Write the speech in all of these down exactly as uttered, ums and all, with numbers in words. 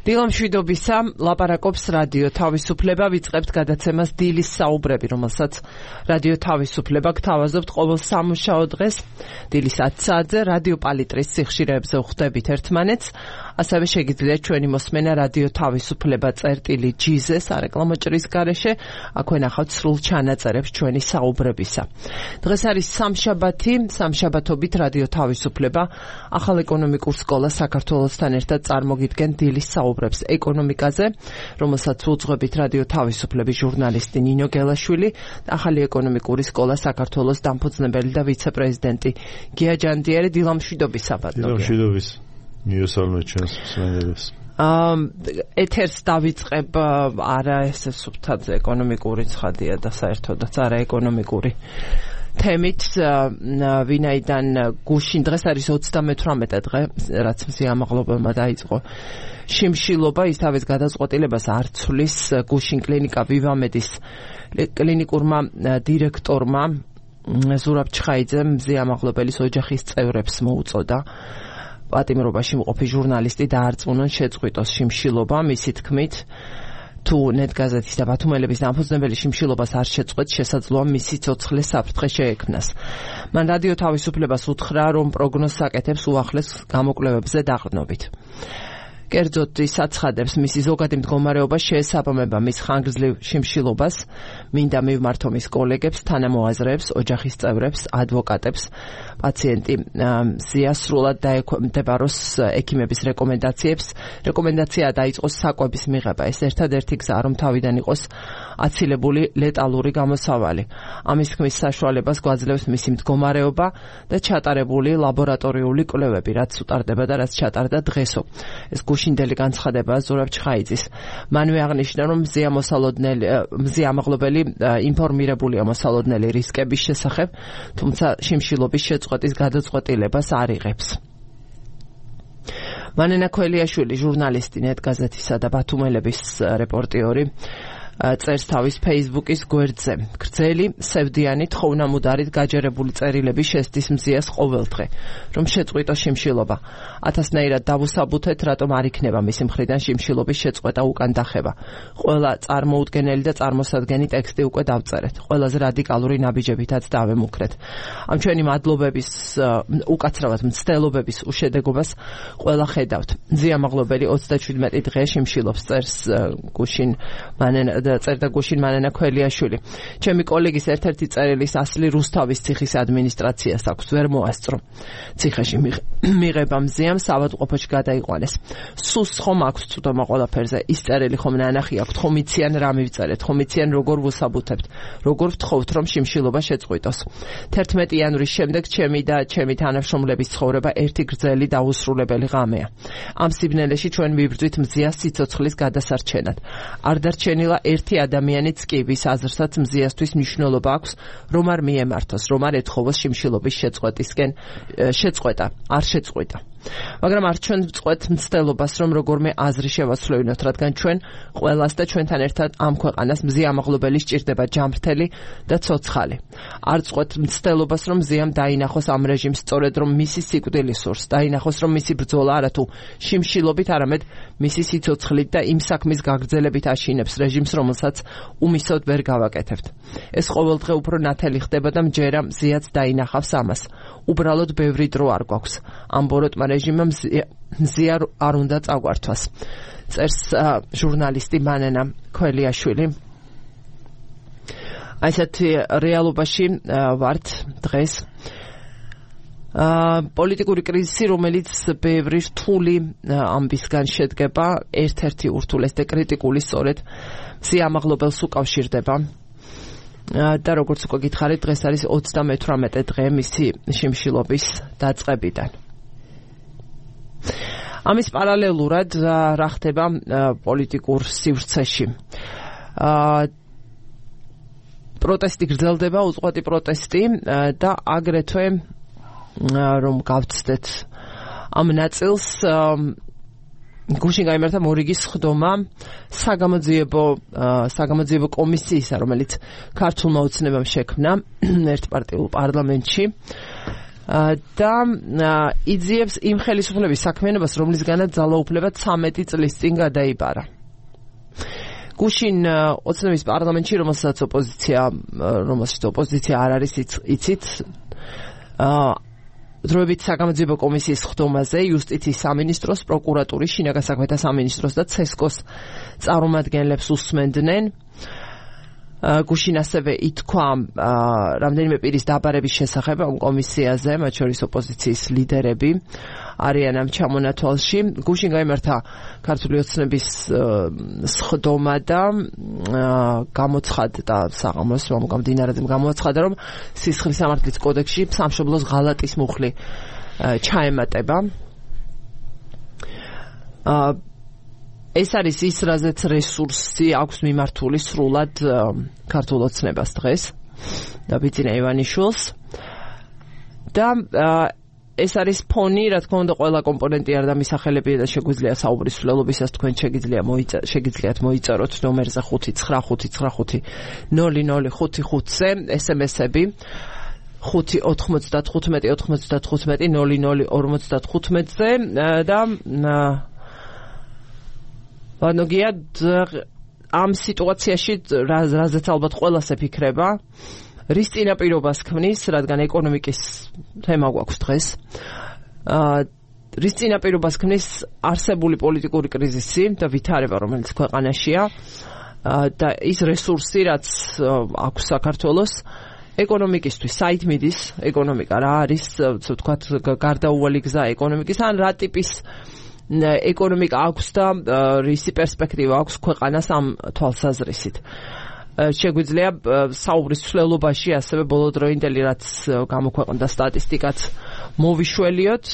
დილამშვიდობისა, ლაპარაკობს რადიო თავისუფლება, ვიწყებთ გადაცემას დილის საუბრები, რომელსაც რადიო თავისუფლება გთავაზობთ ყოველ სამუშაო დღეს, დილის ათი საათზე რადიო პალიტრის სიხშირეებზე ვხვდებით ერთმანეთს, ასევე შეგიძლიათ ჩვენი მოსმენა რადიო თავისუფლება წერტილი ჯი-ზე სარეკლამო ჭრის გარეშე, აქვე ნახავთ სრულ ჩანაწერებს ჩვენი საუბრებისა. დღეს არის სამშაბათი, სამშაბათობით რადიო თავისუფლება ახალ ეკონომიკურ სკოლას საქართველოსთან ერთად წარმოგიდგენ დილის საუბრებს ეკონომიკაზე, რომელსაც უძღვებით რადიო თავისუფლების ჟურნალისტი ნინო გელაშვილი, ახალი ეკონომიკური სკოლა საქართველოს დამფუძნებელი და ვიცე-პრეზიდენტი გია ჯანდიერი. დილამშვიდობისა, ბატონო. დილამშვიდობის. მიესალმეთ ჩვენს მსმენელებს. ეთერს დავიწყებ არა ესე სუფთად ეკონომიკური ცხადია და საერთოდაც არა ეკონომიკური თემით, ვინაიდან გუშინ დღეს არის ოცდამეთვრამეტე დღე, რაც მსიამაღლობელმა დაიწყო შიმშილობა, ის თავის გადაწყვეტილებას არ ცვლის. გუშინ კლინიკა ვივამედის კლინიკურმა დირექტორმა ზურაბ ჩხაიძემ მსიამაღლობელის ოჯახის წევრებს მოუწოდა პატიმრობაში მყოფი ჟურნალისტი დაარწმუნონ შეწყვიტოს შიმშილობა. მისი თქმით, თუ ნეტგაზეთის და ბათუმელების დამფუძნებელი შიმშილობას არ შეწყვეტს, შესაძლოა მისი ცოცხლე საფრთხე შეექმნას. მან რადიო თავისუფლებას უთხრა, რომ პროგნოზს აკეთებს უახლეს გამოკვლევებზე დაყრდნობით. კერძოდ ის აცხადებს, მისი ზოგადი მდგომარეობა შეესაბამება მის ხანგრძლივ შიმშილობას, მინდა მივმართო მის კოლეგებს, თანამოაზრეებს, ოჯახის წევრებს, ადვოკატებს, პაციენტი სრულად დაექვემდებაროს ექიმების რეკომენდაციებს. რეკომენდაცია დაიწყოს საკვების მიღება. ეს ერთადერთი გზაა, რომ თავიდან იყოს აცილებული ლეტალური გამოსავალი. ამის თქმის საშუალებას გვაძლევს მისი მდგომარეობა და ჩატარებული ლაბორატორიული კვლევები, რაც უტარდება და რაც ჩატარდა დღესო. ეს გუშინდელი განცხადებაა ზურაბ ჩხაიძის. მანვე აღნიშნა, რომ მზიამაღლობელი ინფორმირებულია მოსალოდნელი რისკების შესახებ, თუმცა შიმშილობის შეწყვეტის გადაწყვეტილებას არ იღებს. მანენა ქველიაშვილი, ჟურნალისტი ნეტგაზეთისა და ბათუმელების რეპორტიორი, წერს თავის ფეისბუქის გვერდზე. გრძელი, სევდიანი, თხოვნამუდარით გაჯერებული წერილები შესდის მზიას ყოველდღე, რომ შეწყვიტოს შიმშილობა. ათასნაირად დავუსაბუთეთ, რატომ არ იქნება მისი მხრიდან შიმშილობის შეწყვეტა უკან დახება. ყველა წარმოუდგენელი და წარმოსადგენი ტექსტი უკვე დავწერეთ. ყველაზე რადიკალური ნაბიჯებითაც დავემუქრეთ. ამ ჩვენი მადლობების, უკაცრავად მცდელობების უშედეგობას ყველა ხედავთ. მზიამაღლობელი ოცდაშვიდმეტი დღე შიმშილობს, წერს გუშინ მანენა წერდა გუშინ მანენა ქველიაშვილი. ჩემი კოლეგის ერთ-ერთი წერილის ასლი რუსთავის ციხის ადმინისტრაციას აქვს, ვერ მოასწრო. ციხეში მიღება მზიამ საავადმყოფოში გადაიყვანეს. სუს ხომ აქვს წვდომა ყველაფერზე. ის წერილი ხომ ნანახი აქვს, ხომ იციან რა მივწერეთ, ხომ იციან როგორ ვუსაბუთებთ, როგორ ვთხოვთ, რომ შიმშილობა შეწყვიტოს. თერთმეტი იანვრის შემდეგ ჩემი და ჩემი თანამშრომლების ცხოვრება ერთი გრძელი დაუსრულებელი ღამეა. ამ სიბნელეში ჩვენ ვიბრძვით მზიას სიცოცხლის გადასარჩენად. არ დარჩენილა ერთი ადამიანიც კი, ვის აზრსაც მზიასთვის მნიშვნელობა აქვს, რომ არ მიემართოს, რომ არ ეთხოვოს შიმშილობის შეწყვეტისკენ შეწყვეტა, არ შეწყვიტა. მაგრამ არ ჩვენ ვწყვეტ მცდელობას, რომ როგორმე აზრი შევაცვლევინოთ, რადგან ჩვენ ყველას და ჩვენთან ერთად ამ ქვეყანას მზიამაღლობელი სჭირდება ჯანმრთელი და ცოცხალი. არ წყვეტ მცდელობას, რომ მზიამ დაინახოს ამ რეჟიმს, სწორედ რომ მისი სიკვდილი სურს, დაინახოს, რომ მისი ბრძოლა არათუ შიმშილობით, არამედ მისი სიცოცხლით და იმ საქმის გაგრძელებით აშინებს რეჟიმს, რომელსაც უმისოდ ვერ გავაკეთებთ. ეს ყოველდღე უფრო ნათელი ხდება და მჯერა მზიაც დაინახავს ამას. უბრალოდ ბევრი დრო არ გვაქვს. ამ ბოროტმა რეჟიმმა მზია არ უნდა წაგვართვას. წერს ჟურნალისტი მანენა ქველიაშვილი. აი ესეთი რეალობაში ვართ დღეს. პოლიტიკური კრიზისი, რომელიც ბევრი რთული ამბისგან შედგება, ერთ-ერთი ურთულეს და კრიტიკული სწორედ მზიამაღლობელს უკავშირდება. და როგორც უკვე გითხარით, დღეს არის ოცდამეთვრამეტე დღე მისი შიმშილობის დაწყებიდან. ამის პარალელურად რა ხდება პოლიტიკურ სივრცეში? პროტესტი გრძელდება, უწყვეტი პროტესტი და აგრეთვე რომ გავცდეთ ამ ნაწილს, გუშინ გაიმართა მორიგის ხდომა საგამოძიებო საგამოძიებო კომისიისა, რომელიც ქართულმა ოცნებამ შექმნა ერთპარტიულ პარლამენტში. და იძიებს იმ ხელისუფლების საქმიანობას, რომლისგანაც ძალაუფლება ცამეტი წლის წინ გადაიბარა. გუშინ ოცნების პარლამენტში, რომელსაც ოპოზიცია, რომელსაც ოპოზიცია არ არის იცით, დროებით საგამოძიებო კომისიის ხდომაზე იუსტიციის სამინისტროს, პროკურატურის, შინაგან საქმეთა სამინისტროს და ცესკოს წარმომადგენლებს უსმენდნენ. გუშინ ასევე ითქვა რამდენიმე პირის დაბარების შესახებ ამ კომისიაზე, მათ შორის ოპოზიციის ლიდერები არიან ამ ჩამონათვალში. გუშინ გაიმართა ქართული ოცნების სხდომა და გამოცხადდა საღამოს გამომდინარე გამოაცხადა, რომ სისხლის სამართლის კოდექსში სამშობლოს ღალატის მუხლი ჩაემატება. ეს არის ის, რაზეც რესურსი აქვს მიმართული სრულად ქართულ ოცნებას დღეს და ბიძინა ივანიშვილს და ეს არის ფონი, რა თქმა უნდა, ყველა კომპონენტი არ დამისახელებია და შეგვიძლია საუბრის მსვლელობისას თქვენ შეგიძლია შეგიძლიათ მოიწეროთ ნომერზე ხუთი ცხრა ხუთი ცხრა ხუთი ნული ნული ხუთი ხუთზე ესემესები ხუთი ოთხმოცდათხუთმეტი ოთხმოცდათხუთმეტი ნული ნული ორმოცდათხუთმეტზე და ვანოგია ამ სიტუაციაში რაზეც ალბათ ყველას ეფიქრება, რის წინაპირობას ქმნის, რადგან ეკონომიკის თემა გვაქვს დღეს, რის წინაპირობას ქმნის არსებული პოლიტიკური კრიზისი და ვითარება, რომელიც ქვეყანაშია და ის რესურსი, რაც აქვს საქართველოს ეკონომიკისთვის, საით მიდის ეკონომიკა, რა არის, ვთქვათ, გარდაუვალი გზა ეკონომიკის, ან რა ტიპის ეკონომიკა აქვს და რისი პერსპექტივა აქვს ქვეყანას ამ თვალსაზრისით. შეგვიძლია საუბრის მსვლელობაში ასევე ბოლოდროინდელი რაც გამოქვეყნდა სტატისტიკაც მოვიშველიოთ.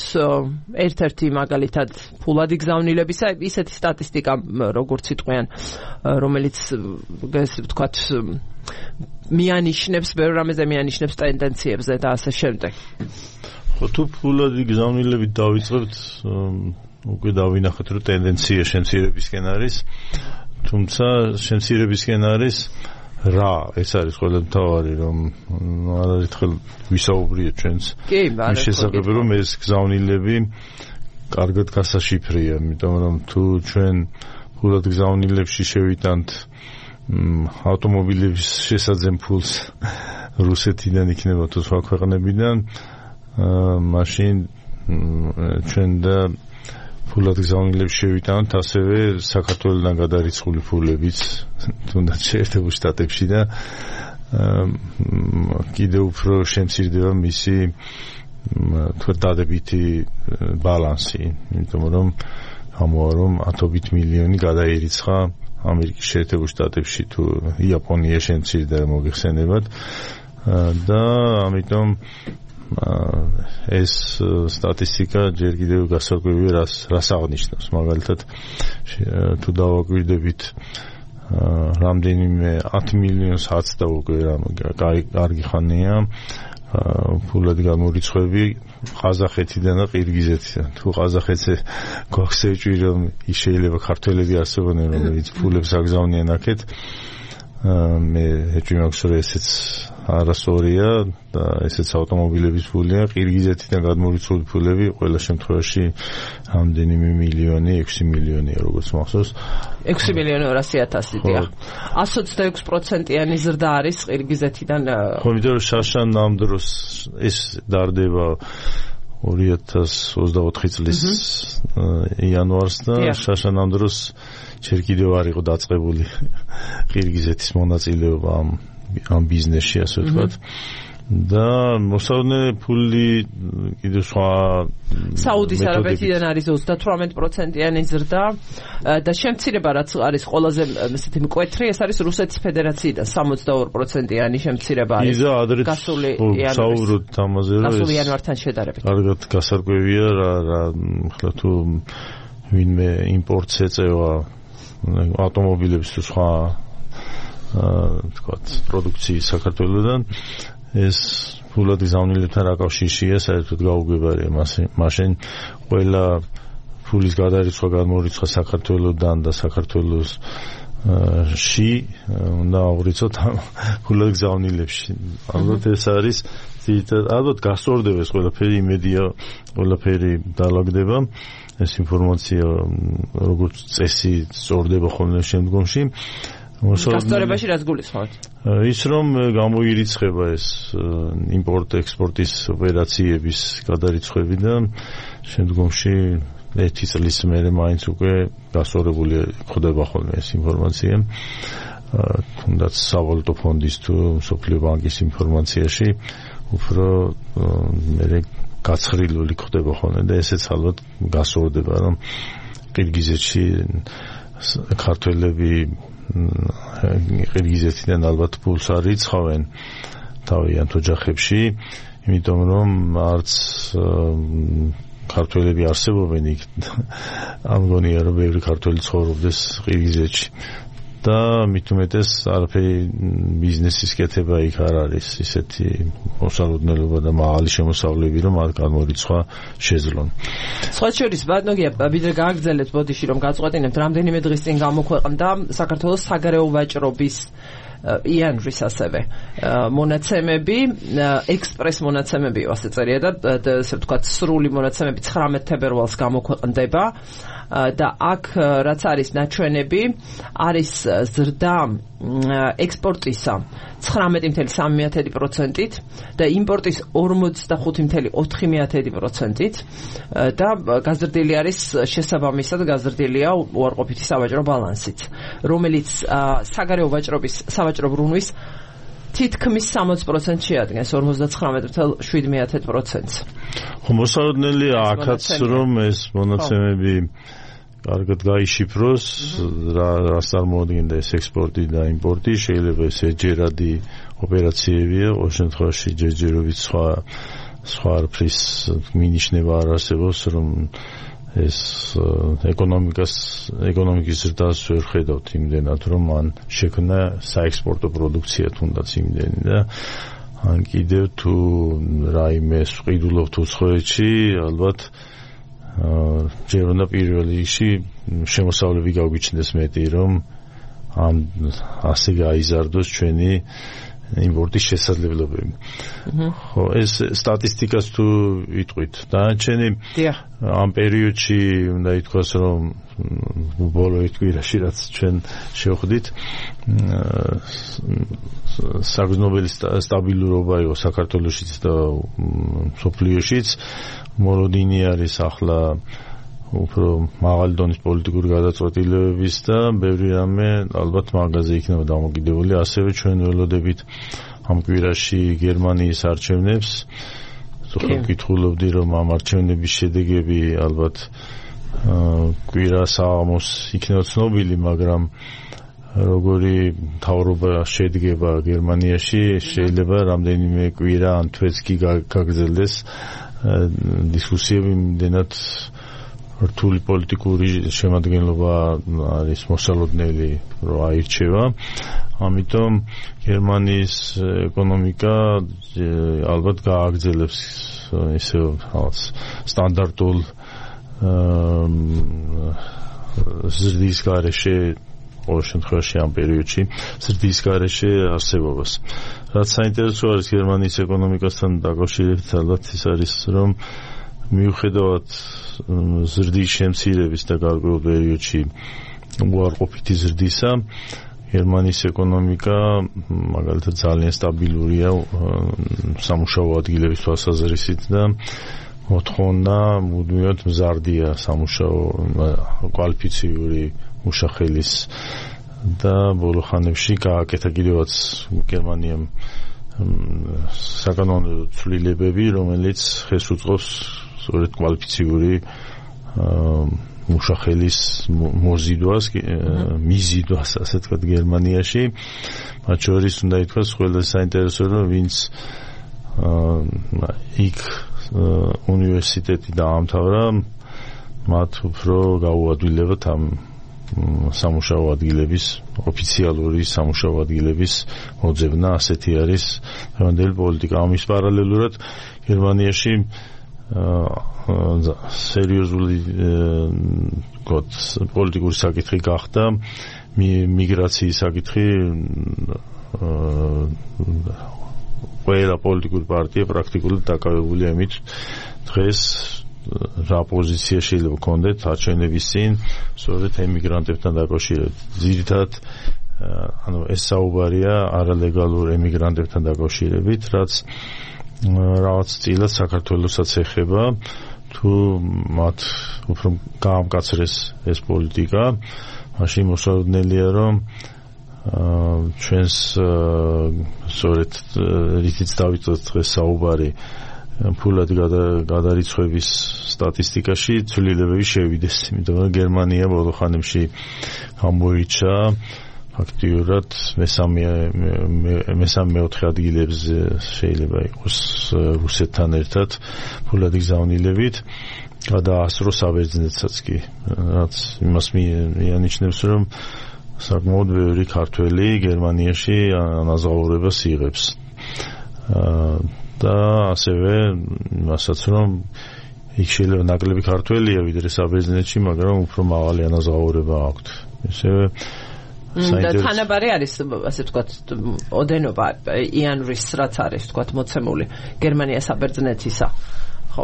ერთ-ერთი მაგალითად ფულადი გზავნილებისა ისეთი სტატისტიკა როგორც იტყვიან, რომელიც ესე ვთქვათ მიანიშნებს ბევრ რამეზე მიანიშნებს ტენდენციებზე და ასე შემდეგ. ხო, თუ ფულადი გზავნილებით დავიწყებთ, უკვე დავინახეთ, რომ ტენდენცია შემცირებისკენ არის, თუმცა შემცირებისკენ არის რა, ეს არის ყველა მთავარი, რომ არაერთხელ ვისაუბრიეთ ჩვენს მის შესახებ, რომ ეს გზავნილები კარგად გასაშიფრია, იმიტომ რომ თუ ჩვენ ფულად გზავნილებში შევიტანთ ავტომობილების შესაძენ ფულს რუსეთიდან იქნება თუ სხვა ქვეყნებიდან, მაშინ ჩვენ და ფულად გზავნილებს შევიტანოთ ასევე საქართველოსთან გადარიცხული ფულებიც თუნდაც შეერთებულ შტატებში და კიდევ უფრო შემცირდება მისი თქვა დადებითი ბალანსი, იმიტომ რომ ამოა რომ ათობით მილიონი გადაერიცხა ამერიკის შეერთებულ შტატებში თუ იაპონია შემცირდა მოგეხსენებათ და ამიტომ ეს სტატისტიკა ჯერ კიდევ გასაკვირია რას რას აღნიშნავს. მაგალითად თუ დავაკვირდებით რამდენიმე ათი მილიონს აცდა უკვე კარგი ხანია ფულად გამორიცხვები ყაზახეთიდან და ყირგიზეთიდან. თუ ყაზახეთზე გვაქვს ეჭვი რომ ის შეიძლება ქართველები არსებობენ რომელიც ფულებს აგზავნიან აქეთ, მე ეჭვი მაქვს რომ ესეც არასწორია და ესეც ავტომობილების ფულია. ყირგიზეთიდან გადმორიცხული ფულები ყველა შემთხვევაში რამდენიმე მილიონი, ექვსი მილიონია როგორც მახსოვს. ექვსი მილიონი ორასი ათასი დიახ. ასი ოცდაექვსი პროცენტიანი ზრდა არის ყირგიზეთიდან. ხო, იმიტომ რომ შაშან ამ დროს ეს დარდება ორი ათას ოცდაოთხი წლის იანვარს და შაშან ამ დროს ჯერ კიდევ არ იყო დაწყებული ყირგიზეთის მონაწილეობა ამ ამ ბიზნესში, ასე ვთქვათ. და მოსავნე ფული კიდევ სხვა საუდის არაბეთიდან არის ოცდათვრამეტი პროცენტიანი ზრდა და შემცირება რაც არის ყველაზე ესეთი მკვეთრი, ეს არის რუსეთის ფედერაციიდან სამოცდაორი პროცენტიანი შემცირება არის. გასული საუბრობთ ამაზე, რომ გასული იანვართან შედარებით. კარგად გასარკვევია რა რა ხლა თუ ვინმე იმპორტს ეწევა ავტომობილების თუ სხვა თქვათ პროდუქციის საქართველოსდან, ეს ფულად გზავნილებთან რა კავშირშია, საერთოდ გაუგებარია მაშინ ყველა ფულის გადარიცხვა, გადმორიცხვა საქართველოსდან და საქართველოს ში უნდა აღვრიცოთ ფულად გზავნილებში. ალბათ ეს არის ალბათ გასწორდება ეს ყველაფერი, იმედია ყველაფერი დაალაგდება, ეს ინფორმაცია როგორც წესი სწორდება ხოლმე შემდგომში. გასწორებაში რაც გულისხმობთ? ის რომ გამოირიცხება ეს იმპორტ-ექსპორტის ოპერაციების გადარიცხვები და შემდგომში ერთი წლის მერე მაინც უკვე გასწორებული ხდება ხოლმე ეს ინფორმაცია. თუნდაც სავალუტო ფონდის თუ მსოფლიო ბანკის ინფორმაციაში უფრო მერე გაცხრილული ხდება ხოლმე და ესეც ალბათ გასწორდება, რომ ყირგიზეთში ქართველები ყირგიზეთიდან ალბათ პულს არ იცხოვენ თავიანთ ოჯახებში, იმიტომ რომ არც ქართველები არსებობენ იქ. ამგონია რომ ბევრი ქართველი ცხოვრობდეს ყირგიზეთში და მით უმეტეს არაფერი ბიზნესის კეთება იქ არ არის ისეთი მოსალოდნელობა და მაღალი შემოსავლები, რომ არ გამორიცხვა შეძლონ. სხვა შორის ბატონია, ვიდრე გააგრძელებთ ბოდიში რომ გაწყვეტინებთ, რამდენიმე დღის წინ გამოქვეყნდა საქართველოს საგარეო ვაჭრობის იანვრის ასევე მონაცემები, ექსპრეს მონაცემები ასე წერია და ესე ვთქვათ სრული მონაცემები ცხრამეტ თებერვალს გამოქვეყნდება და აქ რაც არის ნაჩვენები, არის ზრდა ექსპორტისა ცხრამეტი კoma სამი პროცენტით და იმპორტის ორმოცდახუთი კoma ოთხი პროცენტით და გაზრდილი არის შესაბამისად გაზრდილია უარყოფითი სავაჭრო ბალანსიც, რომელიც საგარეო ვაჭრობის სავაჭრო ბრუნვის თითქმის სამოცი პროცენტს შეადგენს, ორმოცდაცხრამეტი კoma შვიდ პროცენტს. ხო, მოსალოდნელია აქაც რომ ეს მონაცემები კარგად გაიშიფროს, რას წარმოადგენდა ეს ექსპორტი და იმპორტი, შეიძლება ეს ეჯერადი ოპერაციებია, ყოველ შემთხვევაში ჯერჯერობით სხვა სხვა არაფრის მინიშნება არ არსებობს, რომ ეს ეკონომიკას ეკონომიკის ზრდას ვერ ხედავთ იმდენად, რომ მან შექმნა საექსპორტო პროდუქცია თუნდაც იმდენი და ან კიდევ თუ რაიმე ვყიდულობთ უცხოეთში, ალბათ ჯერ უნდა პირველ რიგში შემოსავლები გაგვიჩნდეს მეტი, რომ ამ ასე გაიზარდოს ჩვენი იმპორტის შესაძლებლობები. ხო, ეს სტატისტიკას თუ ვიტყვით, დანარჩენი ამ პერიოდში უნდა ითქვას, რომ ბოლო ერთ კვირაში რაც ჩვენ შევხვდით, საგრძნობელი სტაბილურობა იყო საქართველოშიც და მსოფლიოშიც. მოლოდინი არის ახლა უფრო მაღალი დონის პოლიტიკური გადაწყვეტილებების და ბევრი რამე ალბათ მაგაზე იქნება დამოკიდებული. ასევე ჩვენ ველოდებით ამ კვირაში გერმანიის არჩევნებს. ხომ გითხულობდი, რომ ამ არჩევნების შედეგები ალბათ კვირა საღამოს იქნება ცნობილი, მაგრამ როგორი მთავრობა შედგება გერმანიაში, შეიძლება რამდენიმე კვირა ან თვეც კი გაგრძელდეს დისკუსიები იმდენად რთული პოლიტიკური შემადგენლობა არის მოსალოდნელი, რომ აირჩევა. ამიტომ გერმანიის ეკონომიკა ალბათ გააგრძელებს ისე სტანდარტულ ზრდის გარეშე, ყოველ შემთხვევაში ამ პერიოდში ზრდის გარეშე არსებობას. რაც საინტერესო არის გერმანიის ეკონომიკასთან დაკავშირებით, ალბათ ის არის, რომ მიუხედავად ზრდის შემცირების და გარკვეულ პერიოდში უარყოფითი ზრდისა, გერმანიის ეკონომიკა მაგალითად ძალიან სტაბილურია სამუშაო ადგილების თვალსაზრისით და მოთხოვნა მუდმივად მზარდია სამუშაო კვალიფიციური მუშახელის და ბოლო ხანებში გააკეთა კიდევაც გერმანიამ საკანონმდებლო ცვლილებები, რომელიც ხელს უწყობს სწორედ კვალიფიციური მუშახელის მოზიდვას, მიზიდვას, ასე ვთქვათ, გერმანიაში. მათ შორის უნდა ითქვას, ყველაზე საინტერესო რომ ვინც იქ უნივერსიტეტი დაამთავრა, მათ უფრო გაუადვილებათ ამ სამუშაო ადგილების, ოფიციალური სამუშაო ადგილების მოძებნა. ასეთი არის დღევანდელი პოლიტიკა. ამის პარალელურად გერმანიაში სერიოზული პოლიტიკური საკითხი გახდა მიგრაციის საკითხი ყველა პოლიტიკური პარტია პრაქტიკულად დაკავებულია იმით დღეს რა პოზიცია შეიძლება გქონდეთ არჩევნების წინ სწორედ ემიგრანტებთან დაკავშირებით. ძირითადად ანუ ეს საუბარია არალეგალურ ემიგრანტებთან დაკავშირებით, რაც რაღაც წილად საქართველოსაც ეხება, თუ მათ უფრო გაამკაცრეს ეს პოლიტიკა, მაშინ მოსაოდნელია რომ ჩვენს სწორედ რითიც დავიწყოთ დღეს საუბარი ფულად გადარიცხვების სტატისტიკაში ცვლილებები შევიდეს, იმიტომ რომ გერმანია ბოლო ხანებში გამოირჩა ფაქტიურად მესამე მესამე მეოთხე ადგილებზე შეიძლება იყოს რუსეთთან ერთად ფულად გზავნილებით გადაასწრო საბერძნეთსაც კი, რაც იმას მიანიშნებს რომ საკმაოდ ბევრი ქართველი გერმანიაში ანაზღაურებას იღებს და ასევე იმასაც რომ იქ შეიძლება ნაკლები ქართველია ვიდრე საბერძნეთში, მაგრამ უფრო მაღალი ანაზღაურება აქვთ. ესევე და თანაბარი არის ასე ვთქვათ ოდენობა იანვრის რაც არის ვთქვათ მოცემული გერმანია საბერძნეთისა. ხო,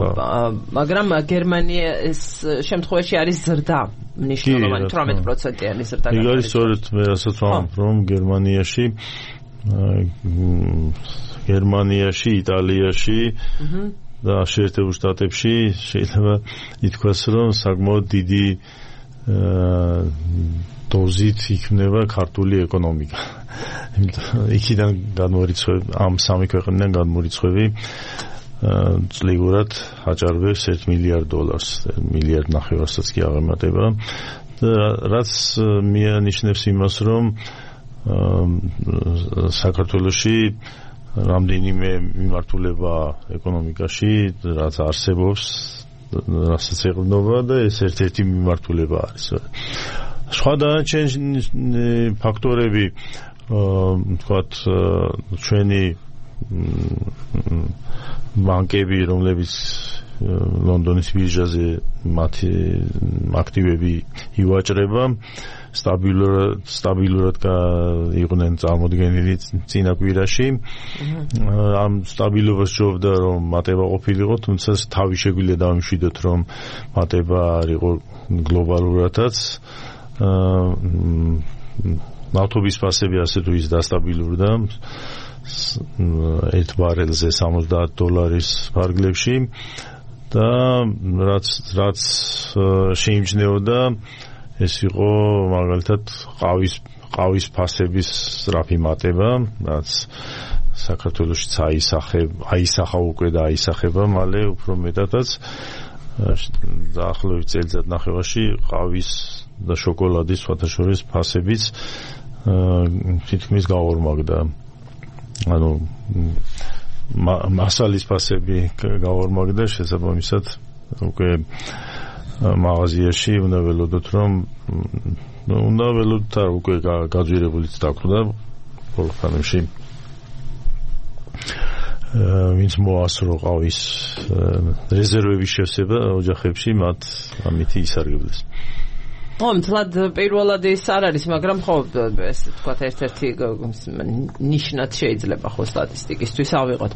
მაგრამ გერმანიის შემთხვევაში არის ზრდა მნიშვნელოვანი თვრამეტ პროცენტიანი ზრდა. იქ არის სწორედ მე რასაც ვამბობ რომ გერმანიაში გერმანიაში, იტალიაში და შეერთებულ შტატებში შეიძლება ითქვას რომ საკმაოდ დიდი დოზით იქნება ქართული ეკონომიკა. იქიდან გადმორიცხვები ამ სამი ქვეყნიდან გადმორიცხვები წლიგურად აჭარბებს ერთ მილიარდ დოლარს, მილიარდ ნახევარსაც კი აღემატება. რაც მიანიშნებს იმას, რომ საქართველოში რამდენიმე მიმართულება ეკონომიკაში, რაც არსებობს, რასაც ეყრდნობა და ეს ერთ-ერთი მიმართულება არის. სხვა დანარჩენი ფაქტორები, თქვათ, ჩვენი ბანკები, რომლებიც ლონდონის ბირჟაზე მათი აქტივები ივაჭრება, სტაბილურად სტაბილურად იყვნენ წარმოდგენილი წინა კვირაში. ამ სტაბილობას ჯობდა რომ მატება ყოფილიყო, თუმცა თავი შეგვიძლია დავიმშვიდოთ რომ მატება არ იყო გლობალურადაც. ნავთობის ფასები ასე თუ ის დასტაბილურდა ერთ ბარელზე სამოცდაათ დოლარის ფარგლებში და რაც რაც შეიმჩნეოდა ეს იყო მაგალითად ყავის ყავის ფასების სწრაფი მატება, რაც საქართველოშიც აისახება, აისახა უკვე და აისახება მალე უფრო მეტადაც დაახლოებით წელიწადნახევარში ყავის და შოკოლადის სხვათაშორის ფასებიც თითქმის გაორმაგდა. ანუ მასალის ფასები გაორმაგდა, შესაბამისად უკვე მაღაზიაში უნდა ველოდოთ რომ უნდა ველოდოთ არ უკვე გაძვირებულიც დაგვდა ბოლო ხანებში ვინც მოასრო ყავის რეზერვების შევსება ოჯახებში მათ ამით ისარგებლეს. ხო, მთლად პირველად ის არ არის, მაგრამ ხო ეს თქვა ერთ-ერთი ნიშნად შეიძლება ხო სტატისტიკისთვის ავიღოთ.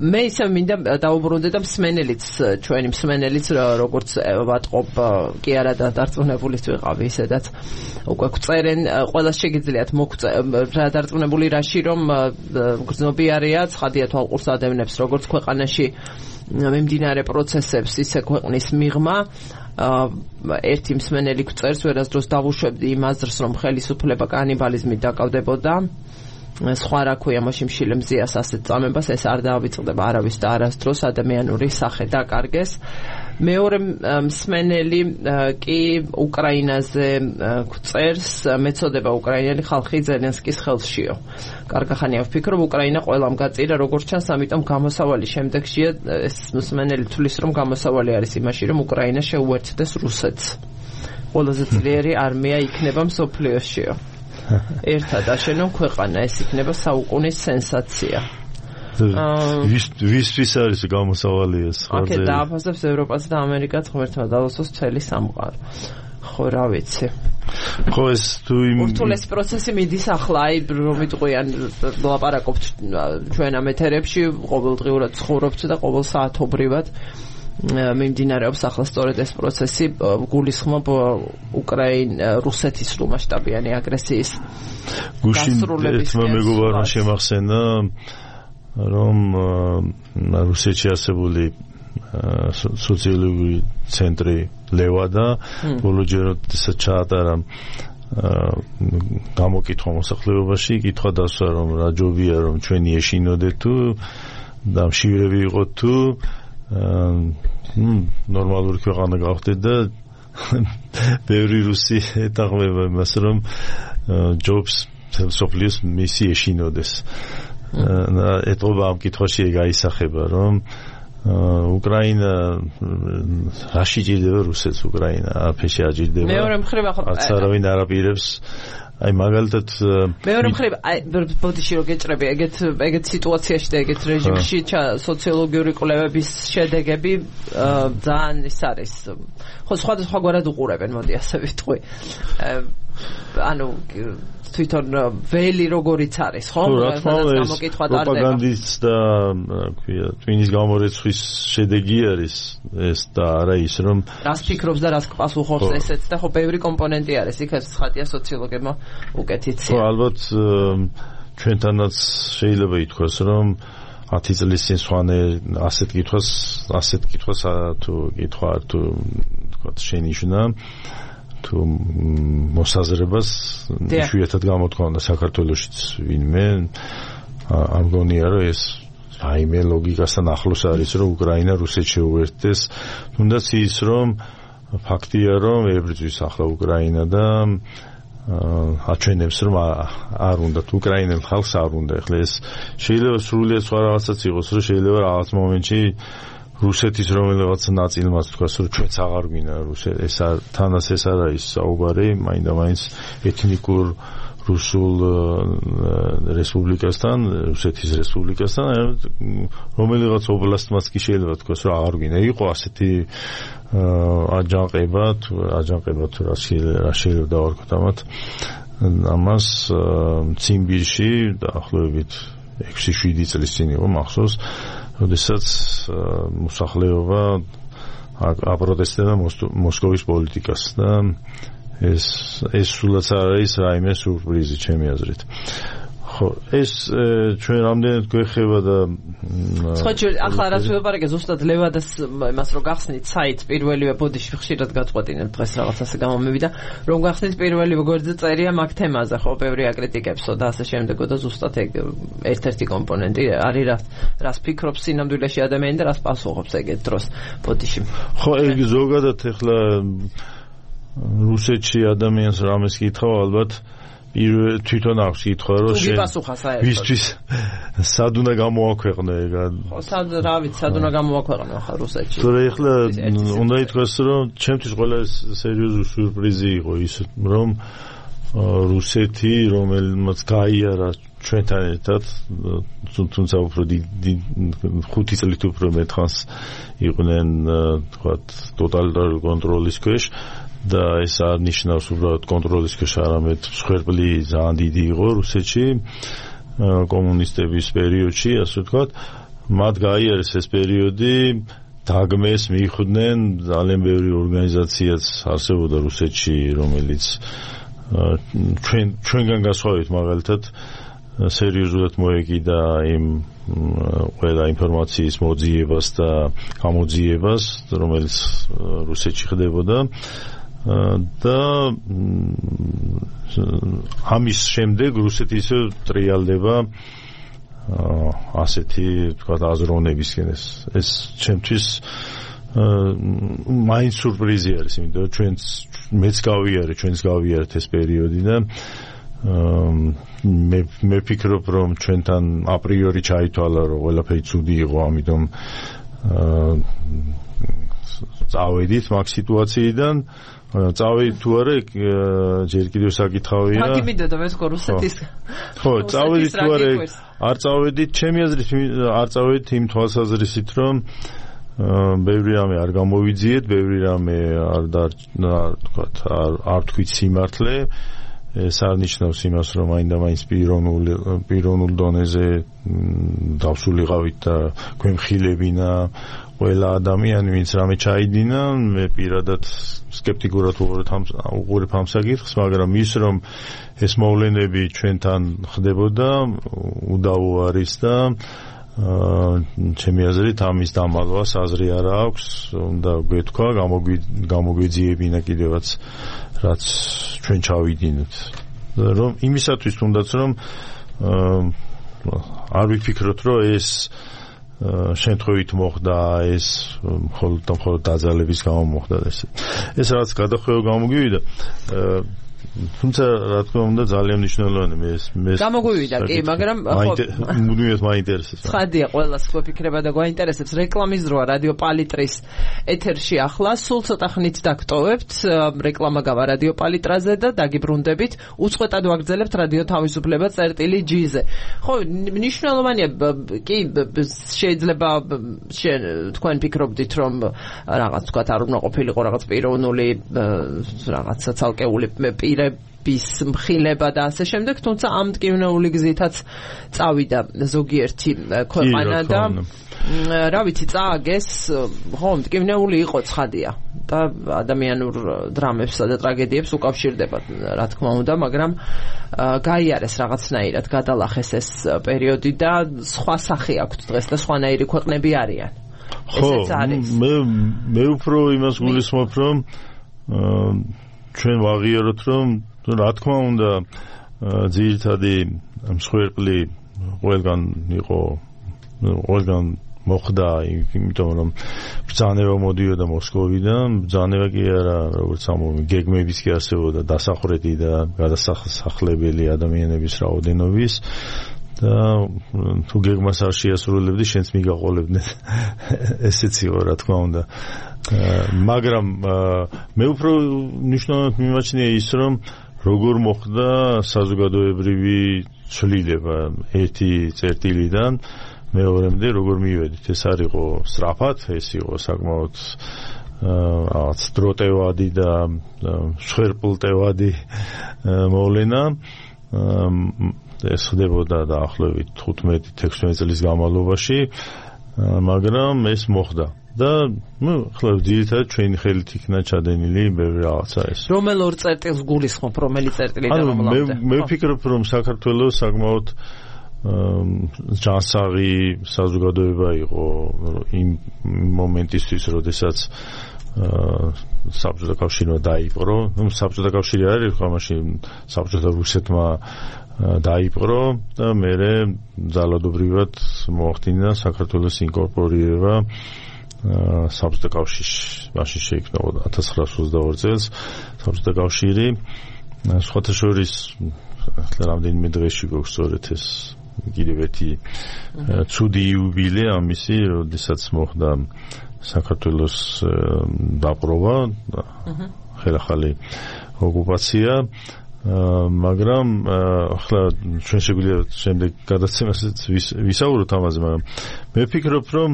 მე ისე მინდა დაუბრუნდე და მსმენელიც ჩვენი მსმენელიც როგორც ვატყობ კი არა და დარწმუნებულიც ვიყავი ისედაც უკვე გწერენ ყველას შეგიძლიათ მოგწერა დარწმუნებული რაში რომ გრძნობიარეა ცხადია თვალყურს ადევნებს როგორც ქვეყანაში მიმდინარე პროცესებს ისე ქვეყნის მიღმა ერთი მსმენელი გწერს ვერასდროს დავუშვებდი იმ აზრს რომ ხელისუფლება კანიბალიზმით დაკავდებოდა სხვა რა ქვია მაშინ მშილე მზიას ასეთ წამებას ეს არ დაავიწყდება არავის და არასდროს ადამიანური სახე დაკარგეს. მეორე მსმენელი კი უკრაინაზე გწერს მეწოდება უკრაინელი ხალხი ზელენსკის ხელშიო. კარგახანია ვფიქრობ უკრაინა ყველამ გაწირა როგორც ჩანს, ამიტომ გამოსავალი შემდეგშია ეს მსმენელი თulis რომ გამოსავალი არის იმაში რომ უკრაინა შეუერთდეს რუსეთს. ყველაზე ძლიერი არმია იქნება მსოფლიოშიო. ერთად აშენონ ქვეყანა, ეს იქნება საუკუნის სენსაცია. ვისთვის არის გამოსავალი ეს? აქეთ დააფასებს ევროპას და ამერიკაც ღმერთმა დაუსოს მთელი სამყარო. ხო, რა ვიცი. ხო ეს თუ იმ ურთულესი პროცესი მიდის ახლა აი რომ იტყვიან ლაპარაკობთ ჩვენ ამ ეთერებში ყოველდღიურად ცხოვრობთ და ყოველ საათობრივად მიმდინარეობს ახლა სწორედ ეს პროცესი გულისხმობ უკრაინ რუსეთის სრულმასშტაბიანი აგრესიის გუშინ თმა მეგობარმა შემახსენა რომ რუსეთში არსებული სოციალური ცენტრი ლევადა ბოლოჯეროდესაც ჩაატარა გამოკითხვა მოსახლეობაში კითხვა დასვა რომ რა ჯობია რომ ჩვენი ეშინოდეთ თუ და მშივრები იყოთ თუ ნორმალური ქვეყანა გავხდეთ და ბევრი რუსი ეთანხმება იმას რომ ჯობს სოფლიოს მისი ეშინოდეს და ეთყობა ამ კითხვაში ეგ აისახება რომ უკრაინა რაში ჭირდება რუსეთს უკრაინა აფეში აჭირდება მეორე მხრივ ახლა არც არავინ არ აპირებს აი მაგალითად მეორე მხრივ აი ბოდიში რო გეჭრები ეგეთ ეგეთ სიტუაციაში და ეგეთ რეჟიმში სოციოლოგიური კვლევების შედეგები ძალიან ის არის ხო სხვადასხვაგვარად უყურებენ მოდი ასე ვიტყვი ანუ თვითონ ველი როგორიც არის ხო გამოკითხვა ტარდება პროპაგანდის და ქვია ტვინის გამორეცხვის შედეგი არის ეს და არა ის რომ რას ფიქრობს და რას პასუხობს ესეც და ხო ბევრი კომპონენტი არის იქაც ხატია სოციოლოგებმა უკეთ იციან ხო ალბათ ჩვენთანაც შეიძლება ითქვას რომ ათი წლის წინ სვანე ასეთ კითხვას ასეთ კითხვას თუ კითხვა თუ თქვა შენიშნა თუ მოსაზრებას იშვიათად გამოთქვამდა საქართველოშიც ვინმე არ მგონია რომ ეს რაიმე ლოგიკასთან ახლოს არის რომ უკრაინა რუსეთს შეუერთდეს თუნდაც ის რომ ფაქტია რომ ებრძვის ახლა უკრაინა და აჩვენებს რომ არ უნდა უკრაინელ ხალხს არ უნდა ახლა ეს შეიძლება სრულიად სხვა რაღაცაც იყოს რომ შეიძლება რაღაც მომენტში რუსეთის რომელიღაც ნაწილმაც თქვას რომ ჩვენც აღარ გვინდა რუსეთ ეს თანაც ეს არ არის საუბარი მაინდა-მაინც ეთნიკურ რუსულ რესპუბლიკასთან რუსეთის რესპუბლიკასთან რომელიღაც ობლასტმაც კი შეიძლება თქვას რომ აღარ გვინდა იყო ასეთი აჯანყება თუ აჯანყება თუ რა შეიძლება დავარქოთ ამათ ამას ციმბირში დაახლოებით ექვსი შვიდი წლის წინ იყო მახსოვს როდესაც მოსახლეობა აპროტესტებდა მოსკოვის პოლიტიკას და ეს ეს სულაც არ არის რაიმე სურპრიზი ჩემი აზრით ხო ეს ჩვენ რამდენად გვეხება და ხო ახლა რაც ვეუბნები ზუსტად ლევადას იმას რომ გახსნით საიტს პირველივე ბოდიში ხშირად გაწყვეტინებ დღეს რაღაცასე გამომივიდა რომ გახსნით პირველივე გვერდზე წერია მაგ თემაზე ხო ბევრი აკრიტიკებსო და ასე შემდეგო და ზუსტად ეგ ერთ-ერთი კომპონენტი არის რა რას ფიქრობს სინამდვილეში ადამიანი და რას პასუხობს ეგეთ დროს ბოდიში ხო ეგ ზოგადად ახლა რუსეთში ადამიანს რამეს კითხავ ალბათ თვითონ აქვს კითხვა რომ ვისთვის სად უნდა გამოაქვეყნო ეგ ხო სად რა ვიცი სად უნდა გამოაქვეყნო ახლა რუსეთში თორე ახლა უნდა ითქვას რომ ჩემთვის ყველა სერიოზული სიურპრიზი იყო ის რომ რუსეთი რომელმაც გაიარა ჩვენთან ერთად თუმცა უფრო ხუთი წლით უფრო მეტხანს იყვნენ თქვა ტოტალიტარული კონტროლის ქვეშ და ეს არ ნიშნავს უბრალოდ კონტროლის ქვეშ არამედ მსხვერპლი ძალიან დიდი იყო რუსეთში კომუნისტების პერიოდში ასე ვთქვათ მათ გაიარეს ეს პერიოდი დაგმეს მიხვდნენ ძალიან ბევრი ორგანიზაციაც არსებობდა რუსეთში რომელიც ჩვენ ჩვენგან გასხვავებით მაგალითად სერიოზულად მოეკიდა იმ ყველა ინფორმაციის მოძიებას და გამოძიებას რომელიც რუსეთში ხდებოდა და ამის შემდეგ რუსეთი ისე ტრიალდება ასეთი თქვა აზროვნებისკენ ეს ეს ჩემთვის მაინც სურპრიზი არის იმიტომ რომ ჩვენც მეც გავიარე ჩვენც გავიარეთ ეს პერიოდი და მე მე ფიქრობ რომ ჩვენთან აპრიორი ჩაითვალა რომ ყველაფერი ცუდი იყო ამიტომ წავედით მაგ სიტუაციიდან წავედით თუ არა ჯერ კიდევ საკითხავია მაგ იმედად მე სკო რუსეთის ხო წავედით თუ არა არ წავედით ჩემი აზრით არ წავედით იმ თვალსაზრისით რომ ბევრი რამე არ გამოვიძიეთ, ბევრი რამე არ თქვათ არ არ თქვით სიმართლე. ეს არ ნიშნავს იმას, რომ მაინდა-მაინც პიროვნულ პიროვნულ დონეზე დავსულიყავით და გვემხილებინა ყველა ადამიანი, ვინც რამე ჩაიდინა. მე პირადად სკეპტიკურად უყურებ ამ საკითხს, მაგრამ ის რომ ეს მოვლენები ჩვენთან ხდებოდა, უდავო არის და ჩემი აზრით ამის დამალვას აზრი არ აქვს, უნდა გვეთქვა, გამოგვეძიებინა კიდევაც რაც ჩვენ ჩავიდინოთ. რომ იმისათვის თუნდაც რომ არ ვიფიქროთ, რომ ეს შემთხვევით მოხდა, ეს მხოლოდ და მხოლოდ დაძალების გამო მოხდა ეს. ეს რაც გადახვევა გამოგივიდა, თუმცა რა თქმა უნდა ძალიან მნიშვნელოვანია მე მე გამოგვივიდა კი, მაგრამ მუდმივად მაინტერესებს. ცხადია, ყველას გვეფიქრება და გვაინტერესებს. რეკლამის დროა რადიო პალიტრის ეთერში ახლა, სულ ცოტა ხნით დაგტოვებთ, რეკლამა გავა რადიო პალიტრაზე და დაგიბრუნდებით. უწყვეტად ვაგრძელებთ რადიო თავისუფლება წერტილი ჯი-ზე. ხო, მნიშვნელოვანია კი, შეიძლება თქვენ ფიქრობდით, რომ რაღაც თქვა არ უნდა ყოფილიყო რაღაც პიროვნული რაღაცა ცალკეული პირე bis მხილება და ასე შემდეგ, თუმცა ამ მტკივნეული გზითაც წავიდა ზოგიერთი ქვეყანა და რა ვიცი, წააგეს, ხო, მტკივნეული იყო ცხადია და ადამიანურ დრამებსა და ტრაგედიებს უკავშირდება, რა თქმა უნდა, მაგრამ გაიარეს რაღაცნაირად, გადალახეს ეს პერიოდი და სხვა სახე აქვთ დღეს და სხვანაირი ქვეყნები არიან. ხო, მე მე უფრო იმას გულისხმობ, რომ ჩვენ ვაღიაროთ, რომ რა თქმა უნდა ძირითადი მსხვერპლი ყველგან იყო, ყველგან მოხდა, იმიტომ რომ ბრძანება მოდიოდა მოსკოვიდან, ბრძანება კი არა, როგორც ამოვი, გეგმებიც კი არსებობდა დასახვრეთი და გადასახლებელი ადამიანების რაოდენობის და თუ გეგმას არ შეასრულებდი, შენც მიგაყოლებდნენ. ესეც იყო, რა თქმა უნდა. მაგრამ მე უფრო მნიშვნელოვნად მიმაჩნია ის, რომ როგორ მოხდა საზოგადოებრივი ცვლილება ერთი წერტილიდან მეორემდე როგორ მივედით. ეს არ იყო სწრაფად, ეს იყო საკმაოდ რაღაც დროტევადი და მსხვერპლტევადი მოვლენა. ეს ხდებოდა დაახლოებით თხუთმეტი ექვსმეტი წლის განმავლობაში, მაგრამ ეს მოხდა. და ნუ ხლა ძირითადად ჩვენი ხელით იქნა ჩადენილი ბევრი რაღაცა ეს. რომელ ორ წერტილს გულისხმობ, რომელი წერტილი და რომლამდე? მე მე ვფიქრობ, რომ საქართველოს საკმაოდ ჯანსაღი საზოგადოება იყო იმ მომენტისთვის, როდესაც საბჭოთა კავშირმა დაიპყრო. ნუ საბჭოთა კავშირი არ იყო ამაში, საბჭოთა რუსეთმა დაიპყრო და მერე ძალადობრივად მოახდინა საქართველოს ინკორპორირება საბჭოთა კავშირში. მაშინ შეიქმნა ათას ცხრაასი ოცდაორი წელს საბჭოთა კავშირი. სხვათა შორის ახლა რამდენიმე დღეში გვაქვს სწორედ ეს კიდევ ერთი ცუდი იუბილე ამისი, როდესაც მოხდა საქართველოს დაპყრობა, ხელახალი ოკუპაცია. მაგრამ ახლა ჩვენ შეგვიძლია შემდეგ გადაცემასაც ვისაუბროთ ამაზე, მაგრამ მე ვფიქრობ, რომ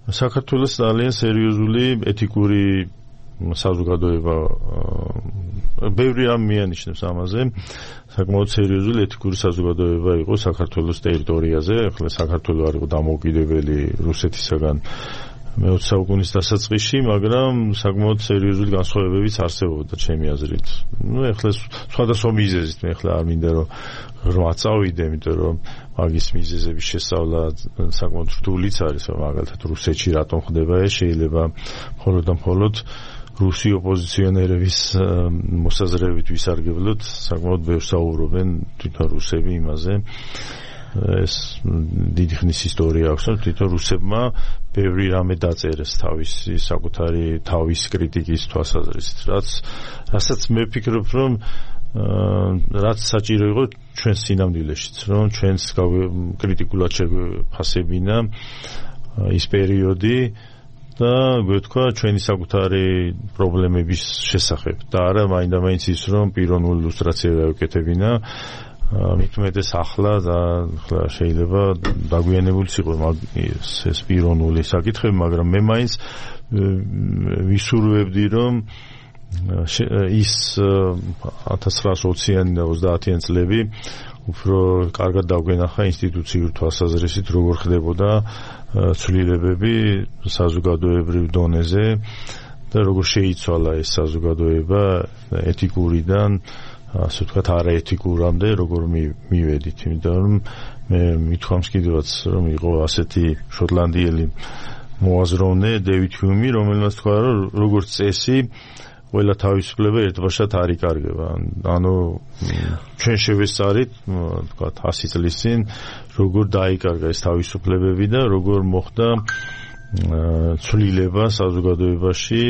საქართველოს ძალიან სერიოზული ეთიკური საზოგადოება, ბევრი რამ მიანიშნებს ამაზე, საკმაოდ სერიოზული ეთიკური საზოგადოება იყო საქართველოს ტერიტორიაზე. ახლა საქართველო არ იყო დამოუკიდებელი რუსეთისაგან მეოცე საუკუნის დასაწყისში, მაგრამ საკმაოდ სერიოზული განსხვავებებიც არსებობდა ჩემი აზრით. ნუ ახლა სხვადასხვა მიზეზით, მე ახლა არ მინდა რომ ღრმა წავიდე, იმიტომ რომ მაგის მიზეზების შესწავლა საკმაოდ რთულიც არის, მაგალითად რუსეთში რატომ ხდება ეს, შეიძლება მხოლოდ და მხოლოდ რუსი ოპოზიციონერების მოსაზრებით ვისარგებლოთ, საკმაოდ ბევრს საუბრობენ თვითონ რუსები იმაზე. ეს დიდი ხნის ისტორია აქვს, რომ თვითონ რუსებმა ბევრი რამე დაწერეს თავისი საკუთარი თავის კრიტიკის თვალსაზრისით, რაც რასაც მე ვფიქრობ, რომ რაც საჭირო იყო ჩვენს სინამდვილეშიც, რომ ჩვენს კრიტიკულად შეგვეფასებინა ის პერიოდი და გვეთქვა ჩვენი საკუთარი პრობლემების შესახებ და არა მაინდა-მაინც ის, რომ პიროვნული ილუსტრაცია გავუკეთებინა მithumetes ახლა და ახლა შეიძლება დაგვიანებულიც იყოს ეს პიროვნული საკითხები, მაგრამ მე მაინც ვისურვებდი რომ ის ათას ცხრაასი ოციანი და ოცდაათიანი წლები უფრო კარგად დაგვენახა ინსტიტუციურ თვალსაზრისით როგორ ხდებოდა ცვლილებები საზოგადოებრივ დონეზე და როგორ შეიცვალა ეს საზოგადოება ეთიკურიდან ასე ვთქვათ არაეთიკურამდე როგორ მივედით, იმიტომ რომ მე მithქვამს კიდევაც რომ იყო ასეთი შოტლანდიელი მოაზროვნე დევიდ ჰიუმი, რომელმაც თქვა რომ როგორც წესი ყველა თავისუფლება ერთბაშად არ იკარგება. ანუ ჩვენ შევესწარით, ვთქვათ, ასი წლის წინ როგორ დაიკარგა ეს თავისუფლებები და როგორ მოხდა ცვლილება საზოგადოებაში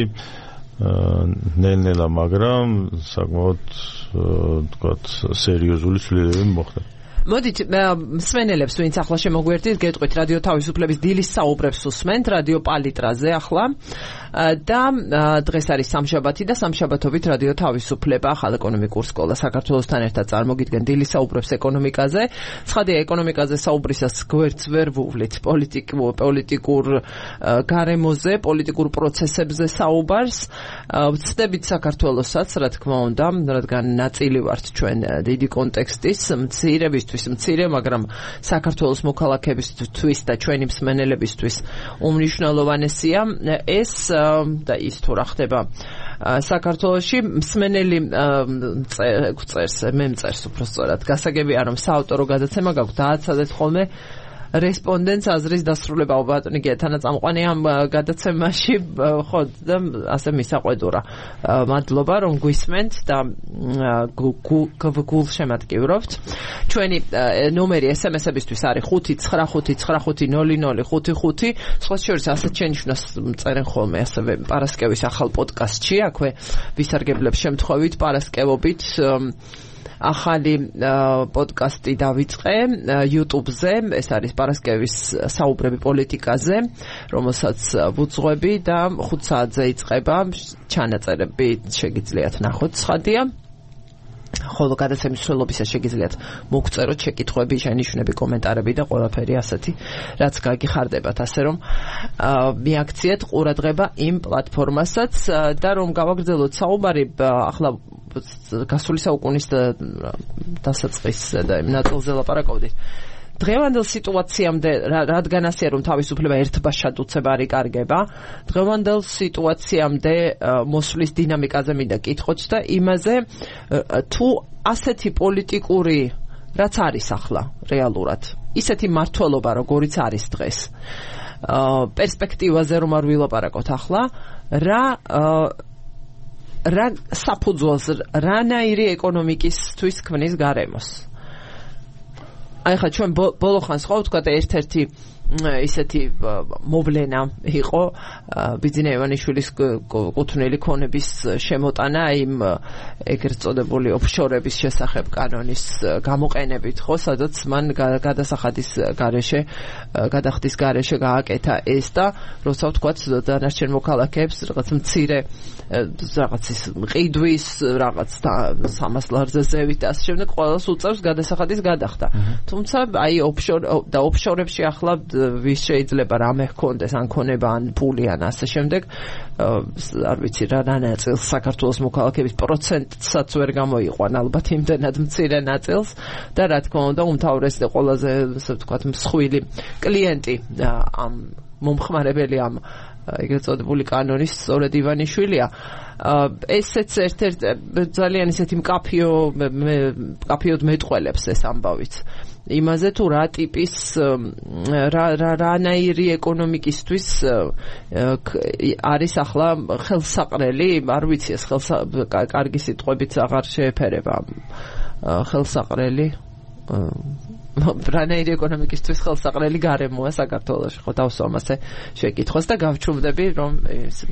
ნელ-ნელა, მაგრამ საკმაოდ ვთქვათ, სერიოზული ცვლილებები მოხდა. მოდით მსმენელებს ვინც ახლა შემოგვერთით, გეტყვით რადიო თავისუფლების დილის საუბრებს უსმენთ რადიო პალიტრაზე ახლა და დღეს არის სამშაბათი და სამშაბათობით რადიო თავისუფლება ახალ ეკონომიკურ სკოლა საქართველოსთან ერთად წარმოგიდგენ დილის საუბრებს ეკონომიკაზე. ცხადია, ეკონომიკაზე საუბრისას გვერდს ვერ ვუვლით პოლიტიკურ გარემოზე, პოლიტიკურ პროცესებზე საუბარს. ვცდებით საქართველოსაც, რა თქმა უნდა, რადგან ნაწილი ვართ ჩვენ დიდი კონტექსტის, მცირებისთვის მცირე, მაგრამ საქართველოს მოქალაქეებისთვის და ჩვენი მსმენელებისთვის უმნიშვნელოვანესია ეს და ის თუ რა ხდება საქართველოში. მსმენელი წერს, მე მწერს უფრო სწორად, გასაგებია რომ საავტორო გადაცემა გაქვს, დააცადეთ ხოლმე რესპონდენტს აზრის დასრულება. ბატონი თანაწამყვანი ამ გადაცემაში, ხო და ასე მისაყვედურა. მადლობა რომ გვისმენთ და გულშემატკივრობთ. ჩვენი ნომერი ესემესებისთვის არის ხუთი ცხრა ხუთი ცხრა ხუთი ნული ნული ხუთი ხუთი. სხვა შორის ასეთ შენიშვნას წერენ ხოლმე ასევე პარასკევის ახალ პოდკასტში, აქვე ვისარგებლებ შემთხვევით პარასკევობით ახალი პოდკასტი დავიწყე YouTube-ზე, ეს არის პარასკევის საუბრები პოლიტიკაზე, რომელსაც ვუძღვები და ხუთ საათზე იწყება. ჩანაწერები შეგიძლიათ ნახოთ, ცხადია. ხოლო გადაცემის მსვლელობისას შეგიძლიათ მოგწეროთ შეკითხვები, შენიშვნები, კომენტარები და ყველაფერი ასეთი, რაც გაგიხარდებათ, ასე რომ მიაქციეთ ყურადღება იმ პლატფორმასაც და რომ გავაგრძელოთ საუბარი ახლა გასული საუკუნის დასაწყის და იმ ნაწილზე ლაპარაკობდით. დღევანდელ სიტუაციამდე, რადგან ასეა რომ თავისუფლება ერთბაშად უცებ არ იკარგება, დღევანდელ სიტუაციამდე მოსვლის დინამიკაზე მინდა კითხოთ და იმაზე თუ ასეთი პოლიტიკური, რაც არის ახლა რეალურად, ისეთი მართლობა როგორიც არის დღეს, პერსპექტივაზე რომ არ ვილაპარაკოთ ახლა, რა რა საფუძველს რანაირი ეკონომიკისთვის ქმნის გარემოს. აი ხა ჩვენ ბოლო ხანს ხო ვთქვათ ერთ-ერთი ისეთი მოვლენა იყო ბიძინა ივანიშვილის კუთვნილი ქონების შემოტანა იმ ეგრეთ წოდებული ოფშორების შესახებ კანონის გამოყენებით, ხო, სადაც მან გადასახადის გარეშე, გადახდის გარეშე გააკეთა ეს და როცა ვთქვათ დანარჩენ მოქალაქეებს რაღაც მცირე რაღაც ის ყიდვის, რაღაც სამას ლარზე ზევით და ასე შემდეგ ყველას უწევს გადასახადის გადახდა. თუმცა აი ოფშორ და ოფშორებში ახლა ვის შეიძლება რამე ჰქონდეს, ან ქონება, ან ფული, ან ასე შემდეგ, არ ვიცი რა ნაწილს საქართველოს მოქალაქეების პროცენტსაც ვერ გამოიყვან, ალბათ იმდენად მცირე ნაწილს და რა თქმა უნდა უმთავრესი და ყველაზე ასე ვთქვათ მსხვილი კლიენტი ამ მომხმარებელი ამ ეგრეთ წოდებული კანონის სწორედ ივანიშვილია. ესეც ერთ-ერთ ძალიან ისეთი მკაფიო მკაფიოდ მეტყველებს ეს ამბავიც. იმაზე თუ რა ტიპის რა რანაირი ეკონომიკისთვის არის ახლა ხელსაყრელი, არ ვიცი ეს კარგი სიტყვებით აღარ შეეფერება ხელსაყრელი რანაირი ეკონომიკისთვის ხელსაყრელი გარემოა საქართველოში, ხო დავსვამ ასე შეკითხვას და გავჩუმდები რომ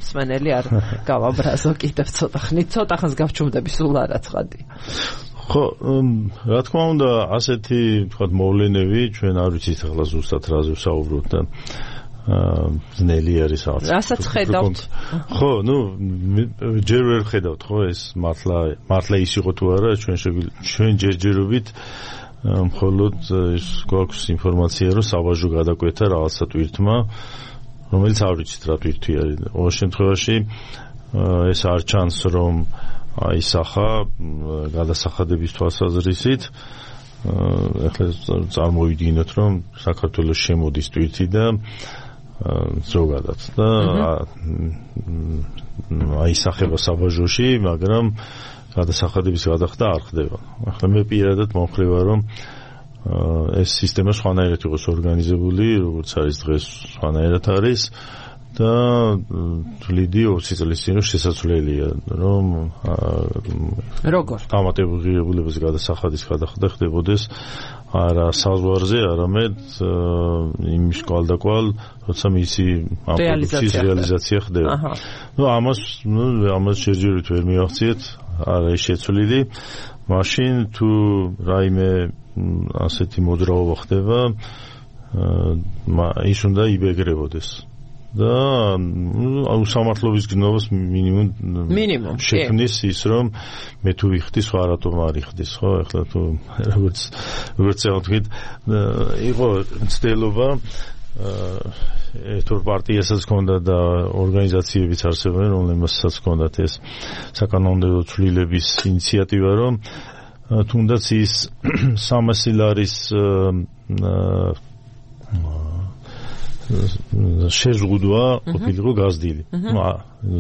მსმენელი არ გავაბრაზო კიდევ ცოტა ხნით, ცოტა ხანს გავჩუმდები, სულ არა ცხადია. ხო, რა თქმა უნდა, ასეთი, თქვათ, მოვლენები ჩვენ არ ვიცით ახლა ზუსტად რაზე ვსაუბრობთ და ძნელი არის რაღაც. რასაც ხედავთ. ხო, ну, ჯერ ვერ ხედავთ, ხო, ეს მართლა მართლა ის იყო თუ არა, ჩვენ ჩვენ ჯერჯერობით მხოლოდ ის გვაქვს ინფორმაცია, რომ საბაჟო გადაკვეთა რაღაცა ტვირთმა, რომელიც არ ვიცით რა ტვირთი არის. ყოველ შემთხვევაში ეს არ ჩანს, რომ აი სახა გადასახადების თვალსაზრისით ახლა წარმოვიდგინოთ, რომ საქართველოს შემოდის ტვირთი და ზოგადად და აისახება საბაჟოში, მაგრამ გადასახადების გადახდა არ ხდება. ახლა მე პირადად მომხრევა, რომ ეს სისტემა სხვანაირად იყოს ორგანიზებული, როგორც არის დღეს სხვანაირად არის და თვლიდი ოცი წლის წინ შესაძლებელია, რომ როგორ დამატებულების გადასახადის გადახდა ხდებოდეს არა საზღვარზე, არამედ იმის კვალდაკვალ, როცა მისი ამ პროდუქციის რეალიზაცია ხდება. ნუ ამას ნუ ამას შეჯერით ვერ მივახციეთ, არა ის შეცვლილი. მაშინ თუ რაიმე ასეთი მოძრაობა ხდება, ის უნდა იბეგრებოდეს. და უსამართლობის გნობას მინიმუმ მინიმუმ შექმნის ის, რომ მე თუ ვიხდი, სხვა რატომ არ იხდის, ხო? ახლა თუ როგორც როგორც წავთქვით, იყო ცდელობა ერთორ პარტიასაც ჰქონდა და ორგანიზაციებიც არსებობენ, რომლებსაც ჰქონდათ ეს საკანონმდებლო ცვლილების ინიციატივა, რომ თუნდაც ის სამასი ლარის შეზღუდვა ყოფილიყო გაზრდილი.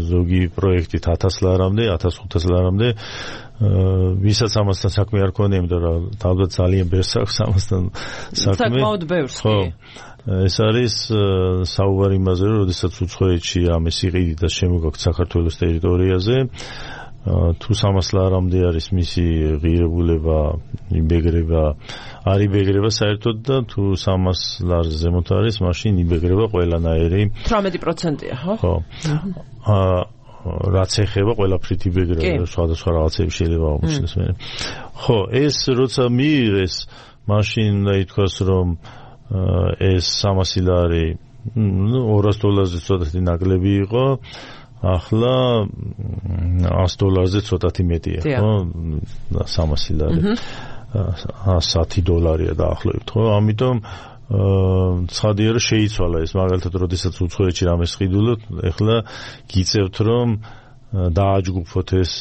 ზოგი პროექტით ათას ლარამდე, ათას ხუთას ლარამდე, ვისაც ამასთან საქმე არ ქონია, იმიტომ რომ თავად ძალიან ბევრს აქვს ამასთან საქმე. საკმაოდ ბევრს. ხო. ეს არის საუბარი იმაზე, რომ როდესაც უცხოეთში ამის იყიდით და შემოგაქვთ საქართველოს ტერიტორიაზე, თუ სამას ლარამდე არის მისი ღირებულება, იბეგრება, არ იბეგრება საერთოდ და თუ სამას ლარზე ზემოთ არის, მაშინ იბეგრება ყველანაირი თვრამეტი პროცენტია, ხო? ხო. აა რაც ეხება ყველაფრით იბეგრება, სხვადასხვა რაღაცები შეიძლება აღმოჩნდეს მე. ხო, ეს როცა მიიღეს, მაშინ უნდა ითქვას, რომ ეს სამასი ლარი, ნუ ორას დოლარზე ცოტათი ნაკლები იყო. ახლა ას დოლარზე ცოტათი მეტია, ხო? სამასი ლარი. ასი დოლარია დაახლოებით, ხო? ამიტომ ცხადია, რომ შეიცვალა ეს, მაგალითად, როდესაც უცხოეთში რამეს ყიდულობთ, ეხლა გიწევთ, რომ დააჯგუფოთ ეს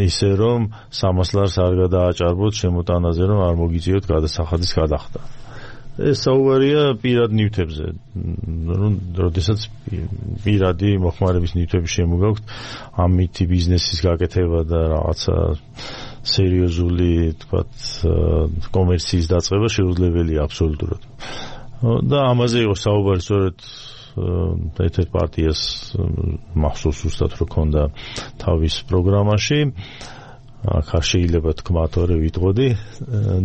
ისე, რომ სამას ლარს არ გადააჭარბოთ შემოტანაზე, რომ არ მოგიწიოთ გადასახადის გადახდა. ეს საუბარია პირად ნივთებზე, რომ როდესაც პირადი მოხმარების ნივთები შემოგაქვთ, ამითი ბიზნესის გაკეთება და რაღაცა სერიოზული, თქვათ, კომერციის დაწყება შეუძლებელია აბსოლუტურად. და ამაზე იყო საუბარი სწორედ ერთ-ერთ პარტიას მახსოვს უბრალოდ რომ ქონდა თავის პროგრამაში. აქ არ შეიძლება თქვა თორე ვიტყოდი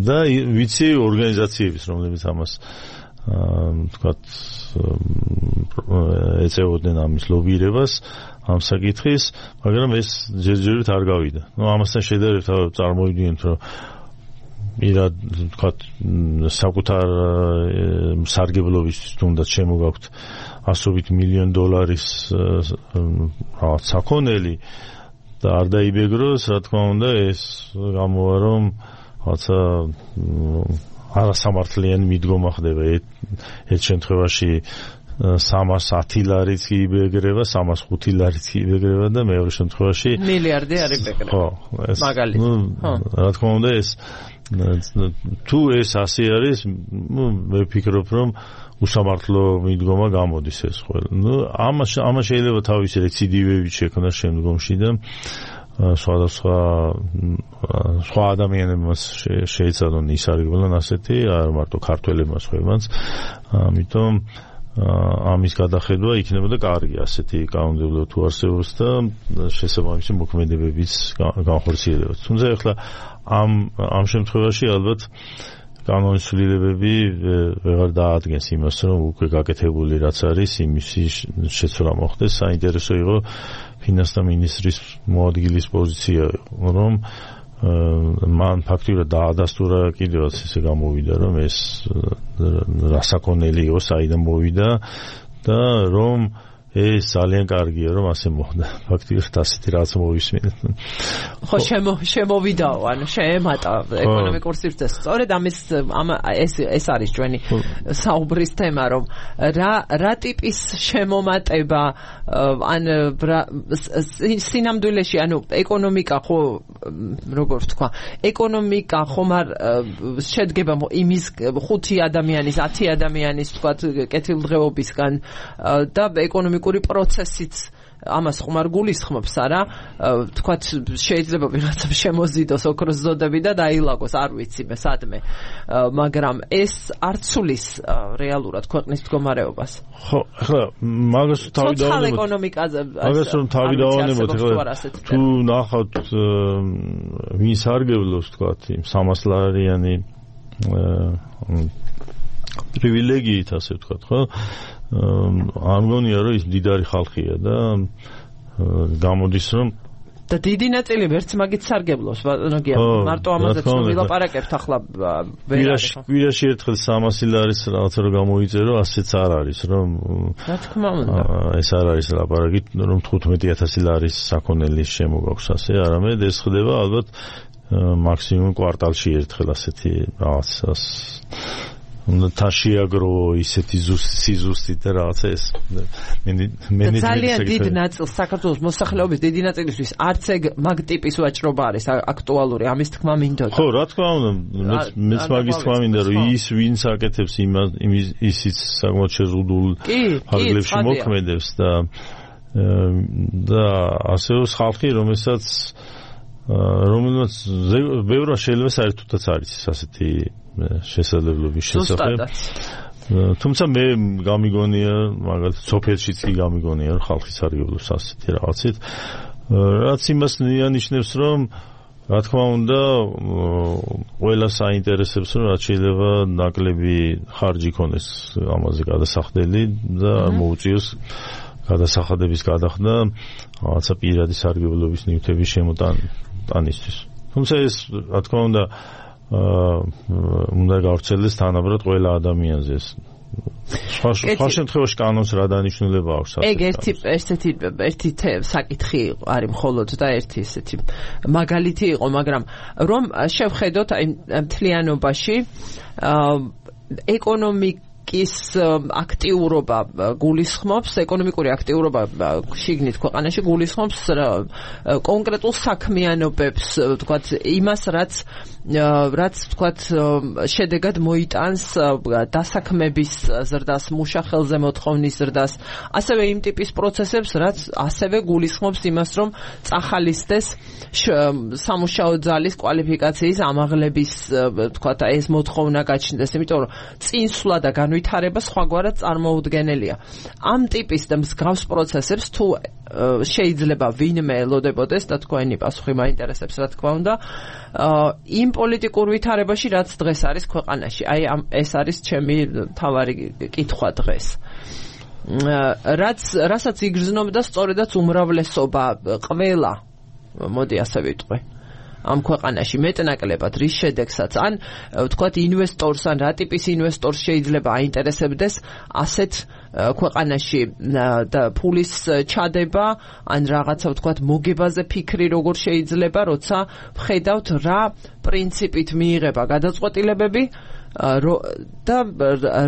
და ვიცი ორგანიზაციების, რომლებიც ამას თქვათ ეწეოდნენ ამის ლობირებას ამ საკითხის, მაგრამ ეს ჯერჯერობით არ გავიდა. ნუ ამასთან შედარებით წარმოვიდგინეთ, რომ მირად თქვათ საკუთარ სარგებლობისთვის თუნდაც შემოგაქვთ ასობით მილიონ დოლარის რაღაც საქონელი და არ დაიბეგროს, რა თქმა უნდა, ეს გამოვა, რომ რაღაცა არასამართლიანი მიდგომა ხდება. ერთ შემთხვევაში სამას ათი ლარიც იბეგრება, სამას ხუთი ლარიც იბეგრება და მეორე შემთხვევაში მილიარდი არ იბეგრება. ხო, ეს მაგალითად. რა თქმა უნდა, ეს თუ ეს ასე არის, ნუ მე ვფიქრობ, რომ უსამართლო მიდგომა გამოდის ეს ყველა. ნუ ამას ამას შეიძლება თავისი რეციდივები შექმნას შემდგომში და სხვადასხვა სხვა ადამიანებმაც შეეცადონ ისარგებლონ ასეთი, არ მარტო ქართველებმაც ხებმაც. ამიტომ ამის გადახედვა იქნებოდა კარგი ასეთი კანონმდებლო თუ არსებობს და შესაბამისი მოქმედებებიც განხორციელებას. თუმცა ახლა ამ ამ შემთხვევაში ალბათ კანონის ცვლილებები ვეღარ დაადგენს იმას, რომ უკვე გაკეთებული რაც არის, იმის შეცვლა მოხდეს. საინტერესო იყო ფინანსთა მინისტრის მოადგილის პოზიცია, რომ მან ფაქტიურად დაადასტურა კიდევაც ესე გამოვიდა რომ ეს რასაკონელი იყო საიდან მოვიდა და რომ ეს ძალიან კარგია რომ ასე მოხდა ფაქტიურად ასეთი რაღაც მოვისმინეთ ხო შემო შემოვიდაო ანუ შეემატა ეკონომიკურ სივრცეს სწორედ ამის ამ ეს ეს არის ჩვენი საუბრის თემა რომ რა რა ტიპის შემომატება ან სინამდვილეში ანუ ეკონომიკა ხო როგორ ვთქვა ეკონომიკა ხომ არ შედგება იმის ხუთი ადამიანის ათი ადამიანის თქვა კეთილდღეობისგან და ეკონომიკა პროცესიც ამას ხომ არ გულისხმობს არა თქვათ შეიძლება ვიღაცამ შემოზიდოს ოქროს ზოდები და დაილაგოს არ ვიცი მე სადმე მაგრამ ეს არ ცulis რეალურად ქვეყნის მდგომარეობას ხო ახლა მაგას თავი დავანებოთ ეკონომიკაზე მაგას რომ თავი დავანებოთ ახლა თუ ნახავთ ვინ სარგებლობს თქვათ იმ სამასლარიანი პრივილეგიით ასე ვთქვათ ხო არ მგონია რომ ის დიდარი ხალხია და გამოდის რომ და დიდი ნაწილი ვერც მაგით სარგებლობს ბატონოგია მარტო ამაზე ვილაპარაკებთ ახლა ვერაში ვერაში ერთხელ სამასი ლარის რაღაცა რომ გამოიწერო ასეც არ არის რომ რა თქმა უნდა ეს არ არის ლაპარაკი რომ თხუთმეტი ათასი ლარის საქონელი შემოგაქვს ასე არამედ ეს ხდება ალბათ მაქსიმუმ კვარტალში ერთხელ ასეთი რაღაცას და შეაგრო ისეთი სიზუსტი და რაღაცა ეს მენეჯმენტი ძალიან დიდ ნაწილს საქართველოს მოსახლეობის დიდი ნაწილისთვის არც ეგ მაგ ტიპის ვაჭრობა არის აქტუალური ამის თქმა მინდოდა ხო რა თქმა უნდა მეც მაგის თქმა მინდა რომ ის ვინც აკეთებს იმის ისიც საკმაოდ შეზღუდულ ფარგლებში მოქმედებს და და ასევე ხალხი რომელსაც რომელსაც ბევრმა შეიძლება საერთოდაც არის ასეთი შესაძლებლობის შესახებ. თუმცა მე გამიგონია, მაგალითად, სოფიეთშიც კი გამიგონია, რომ ხალხი სარგებლობს ასეთი რაღაცით. რაც იმას ნიშნავს, რომ რა თქმა უნდა, ყველა საინტერესებს, რომ რაც შეიძლება ნაკლები ხარჯი ქონდეს ამაზე გადასახდელი და მოუწიოს გადასახადების გადახდა რაღაცა პირადი სარგებლობის ნივთების შემოტანისთვის. თუმცა ეს რა თქმა უნდა უნდა გავრცელდეს თანაბრად ყველა ადამიანზე ეს სხვა შემთხვევაში კანონს რა დანიშნულება აქვს ეგ ერთი ესეთი ერთი საკითხი არის მხოლოდ და ერთი ესეთი მაგალითი იყო მაგრამ რომ შევხედოთ აი მთლიანობაში ეკონომიკ ის აქტიურობა გულისხმობს ეკონომიკური აქტიურობა შიგნით ქვეყანაში გულისხმობს კონკრეტულ საქმიანობებს ვთქვათ იმას რაც რაც ვთქვათ შედეგად მოიტანს დასაქმების ზრდას მუშახელზე მოთხოვნის ზრდას ასევე იმ ტიპის პროცესებს რაც ასევე გულისხმობს იმას რომ წახალისდეს სამუშაო ძალის კვალიფიკაციის ამაღლების ვთქვათ ეს მოთხოვნა გაჩნდეს იმიტომ რომ წინსვლა და ვითარება სხვაგვარად წარმოუდგენელია. ამ ტიპის და მსგავს პროცესებს თუ შეიძლება ვინმე ელოდებოდეს და თქვენი პასუხი მაინტერესებს რა თქმა უნდა იმ პოლიტიკურ ვითარებაში რაც დღეს არის ქვეყანაში. აი ეს არის ჩემი თავარი კითხვა დღეს. რაც რასაც იგრძნობდა სწორედაც უმრავლესობა ყველა მოდი ასე ვიტყვი. ამ ქვეყანაში მეტნაკლებად რის შედეგსაც ან ვთქვათ ინვესტორს ან რა ტიპის ინვესტორს შეიძლება აინტერესებდეს ასეთ ქვეყანაში და ფულის ჩადება ან რაღაცა ვთქვათ მოგებაზე ფიქრი როგორ შეიძლება როცა ვხედავთ რა პრინციპით მიიღება გადაწყვეტილებები და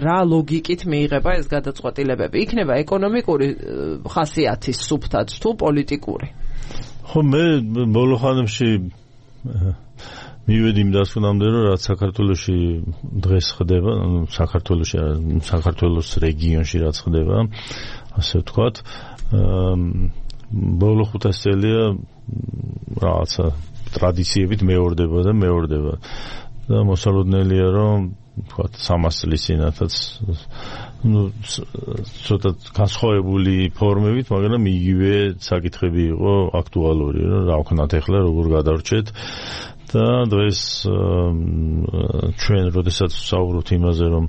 რა ლოგიკით მიიღება ეს გადაწყვეტილებები იქნება ეკონომიკური ხასიათის სუფთად თუ პოლიტიკური ხო მე ბოლო ხანებში მივედი იმ დასკვნამდე რომ რაც საქართველოში დღეს ხდება საქართველოში საქართველოს რეგიონში რაც ხდება ასე ვთქვათ ბოლო ხუთას წელია რაღაცა ტრადიციებით მეორდება და მეორდება და მოსალოდნელია რომ ვთქვათ სამას წლის წინათაც ну ცოტა განსხვავებული ფორმებით, მაგრამ იგივე საკითხები იყო აქტუალური, რომ რა ვქნათ ახლა როგორ გადავრჩეთ და დღეს ჩვენ როდესაც ვსაუბრობთ იმაზე, რომ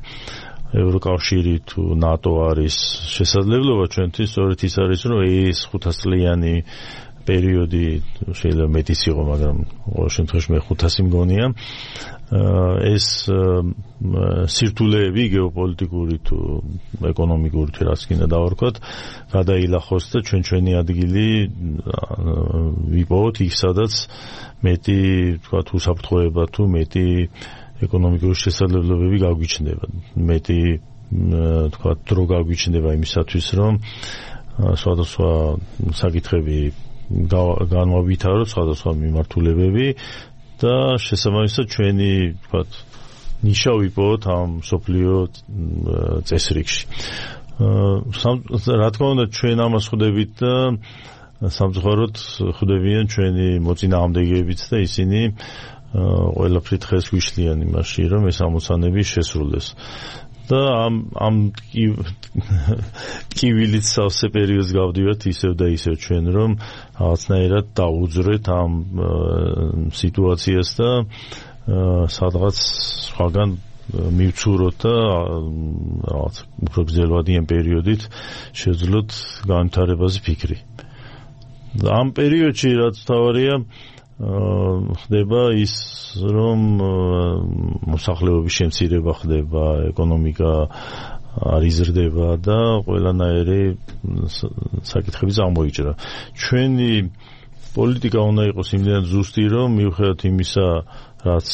ევროკავშირი თუ ნატო არის შესაძლებლობა ჩვენთვის, სწორედ ის არის, რომ ეს ხუთასწლიანი პერიოდი შეიძლება მეტიც იყო, მაგრამ ყოველ შემთხვევაში მე ხუთასი მგონია. ეს სირთულეები გეოპოლიტიკური თუ ეკონომიკური თუ რაც კიდე დავარქვათ, გადაილახოს და ჩვენ ჩვენი ადგილი ვიპოვოთ იქ, სადაც მეტი თქვა უსაფრთხოება თუ მეტი ეკონომიკური შესაძლებლობები გაგვიჩნდება, მეტი თქვა დრო გაგვიჩნდება იმისათვის, რომ სხვადასხვა საკითხები განვავითაროთ, სხვადასხვა მიმართულებები და შესაბამისად ჩვენი თქვა ნიშა ვიპოვოთ ამ სოფლიო წესრიგში. რა თქმა უნდა, ჩვენ ამას ხვდებით და სამწუხაროდ ხვდებიან ჩვენი მოწინააღმდეგეებიც და ისინი ყველაფრით ხეს გვიშლიან იმაში, რომ ეს ამოცანები შესრულდეს. და ამ ამ კივილით სავსე პერიოდს გავდივართ ისევ და ისევ ჩვენ, რომ რაღაცნაირად დაუძვრეთ ამ სიტუაციას და სადღაც სხვაგან მივცუროთ და რაღაც უფრო გრძელვადიან პერიოდით შეძლოთ განვითარებაზე ფიქრი. ამ პერიოდში რაც თავარია ხდება ის, რომ მოსახლეობის შემცირება ხდება, ეკონომიკა არ იზრდება და ყველანაირი საკითხები წარმოიჭრა. ჩვენი პოლიტიკა უნდა იყოს იმდენად ზუსტი, რომ მიუხედავად იმისა, რაც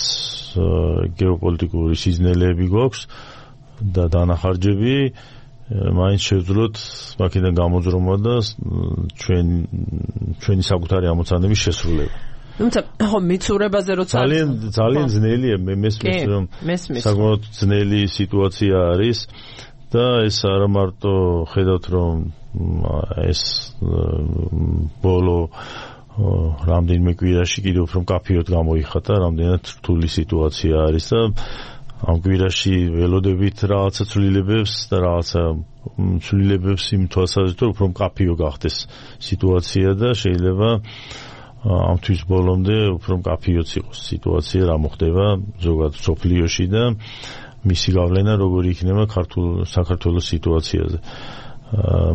გეოპოლიტიკური სიზნელეები გვაქვს და დანახარჯები, მაინც შევძლოთ მაქედან გამოძრომა და ჩვენ ჩვენი საკუთარი ამოცანების შესრულება. თუმცა ხო მიცურებაზე როცა ძალიან ძალიან ძნელია, მე მესმის რომ საკმაოდ ძნელი სიტუაცია არის და ეს არა მარტო ხედავთ რომ ეს ბოლო რამდენიმე კვირაში კიდევ უფრო მკაფიოდ გამოიხატა, რამდენად რთული სიტუაცია არის და ამ კვირაში ველოდებით რაღაცა ცვლილებებს და რაღაცა ცვლილებებს იმ თვალსაზრისით, უფრო მკაფიო გახდეს სიტუაცია და შეიძლება ამ თვის ბოლომდე უფრო მკაფიოც იყოს სიტუაცია, რა მოხდება ზოგადად სოფლიოში და მისი გავლენა როგორი იქნება ქართულ საქართველოს სიტუაციაზე.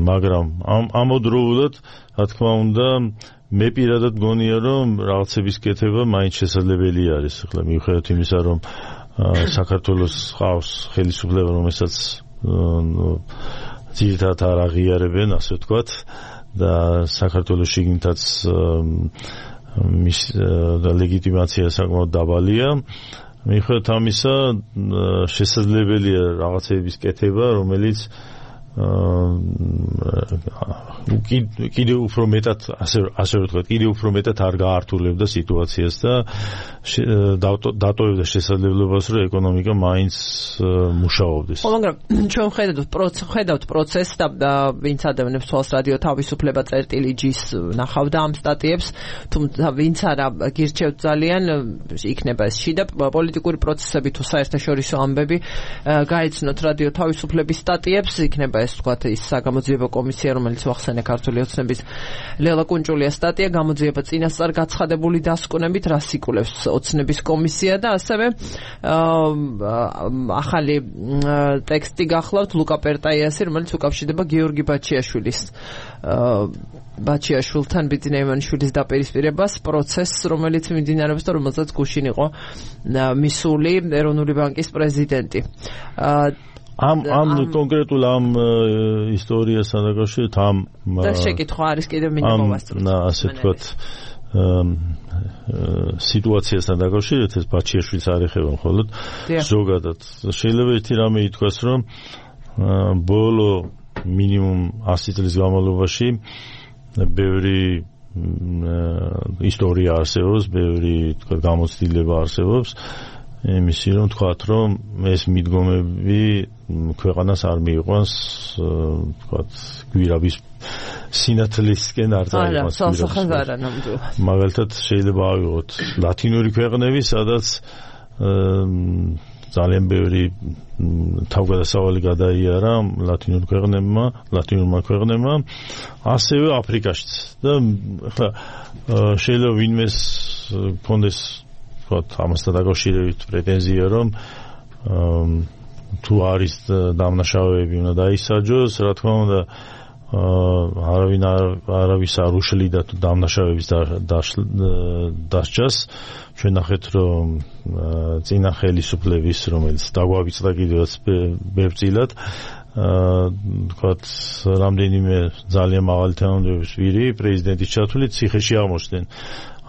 მაგრამ ამ ამოდროულად, რა თქმა უნდა, მე პირადად მგონია, რომ რაღაცების კეთება მაინც შესაძლებელი არის. ახლა მიუხედავად იმისა, რომ საქართველოს ყავს ხელისუფლება, რომელსაც ძირითადად არ აღიარებენ, ასე ვთქვათ, და საქართველოს შიგნითაც მის ლეგიტიმაცია საკმაოდ დაბალია. მიუხედავად ამისა, შესაძლებელია რაღაცების კეთება, რომელიც კიდევ უფრო მეტად ასე ასე ვთქვათ, კიდევ უფრო მეტად არ გაართულებდა სიტუაციას და დატოვებდა შესაძლებლობას, რომ ეკონომიკა მაინც მუშაობდეს. ხო, მაგრამ ჩვენ ხედავთ ხედავთ პროცესს და ვინც ადამიანებს თვალს რადიო თავისუფლება წერტილი ჯის ნახავდა ამ სტატიებს, თუმცა ვინც არა გირჩევთ ძალიან, იქნება ეს შიდა პოლიტიკური პროცესები თუ საერთაშორისო ამბები, გაეცნოთ რადიო თავისუფლების სტატიებს, იქნება ეს ვთქვათ ის საგამოძიებო კომისია, რომელიც ვახსენე ქართული ოცნების ლელა კუნჭულიას სტატია, გამოძიება წინასწარ გაცხადებული დასკვნებით, რას იკვლევს ოცნების კომისია და ასევე ახალი ტექსტი გახლავთ ლუკა პერტაიასი, რომელიც უკავშირდება გიორგი ბაჩიაშვილის ბაჩიაშვილთან ბიძინა ივანიშვილის დაპირისპირებას, პროცესს, რომელიც მიმდინარეობს და რომელსაც გუშინ იყო მისული ეროვნული ბანკის პრეზიდენტი. ამ ამ კონკრეტულ ამ ისტორიასთან დაკავშირებით ამ და შეკითხვა არის კიდევ მინდა მოვასწროთ. ასე ვთქვათ, სიტუაციასთან დაკავშირებით ეს ბაჩიაშვილს არ ეხება მხოლოდ ზოგადად. შეიძლება ერთი რამე ითქვას, რომ ბოლო მინიმუმ ასი წლის განმავლობაში ბევრი ისტორია არსებობს, ბევრი თქვა გამოცდილება არსებობს იმისი, რომ თქვათ, რომ ეს მიდგომები ქვეყანას არ მიიყვანს, თქვათ, გვირაბის სინათლისკენ არ წაიყვანს. მაგალითად შეიძლება ავიღოთ ლათინური ქვეყნები, სადაც ძალიან ბევრი თავგადასავალი გადაიარა ლათინურ ქვეყნებმა, ლათინურმა ქვეყნებმა, ასევე აფრიკაშიც. და ახლა შეიძლება ვინმეს გქონდეს ამასთან დაკავშირებით პრეტენზია, რომ თუ არის დამნაშავეები უნდა დაისაჯოს, რა თქმა უნდა, არავინ არავის არ უშლიდა თუ დამნაშავების დასჯას. ჩვენ ნახეთ რომ წინა ხელისუფლების რომელიც დაგვავიწყდა კიდევაც ბევრწილად ვთქვათ რამდენიმე ძალიან მაღალი თანამდებობის პირი პრეზიდენტის ჩათვლით ციხეში აღმოჩნდნენ.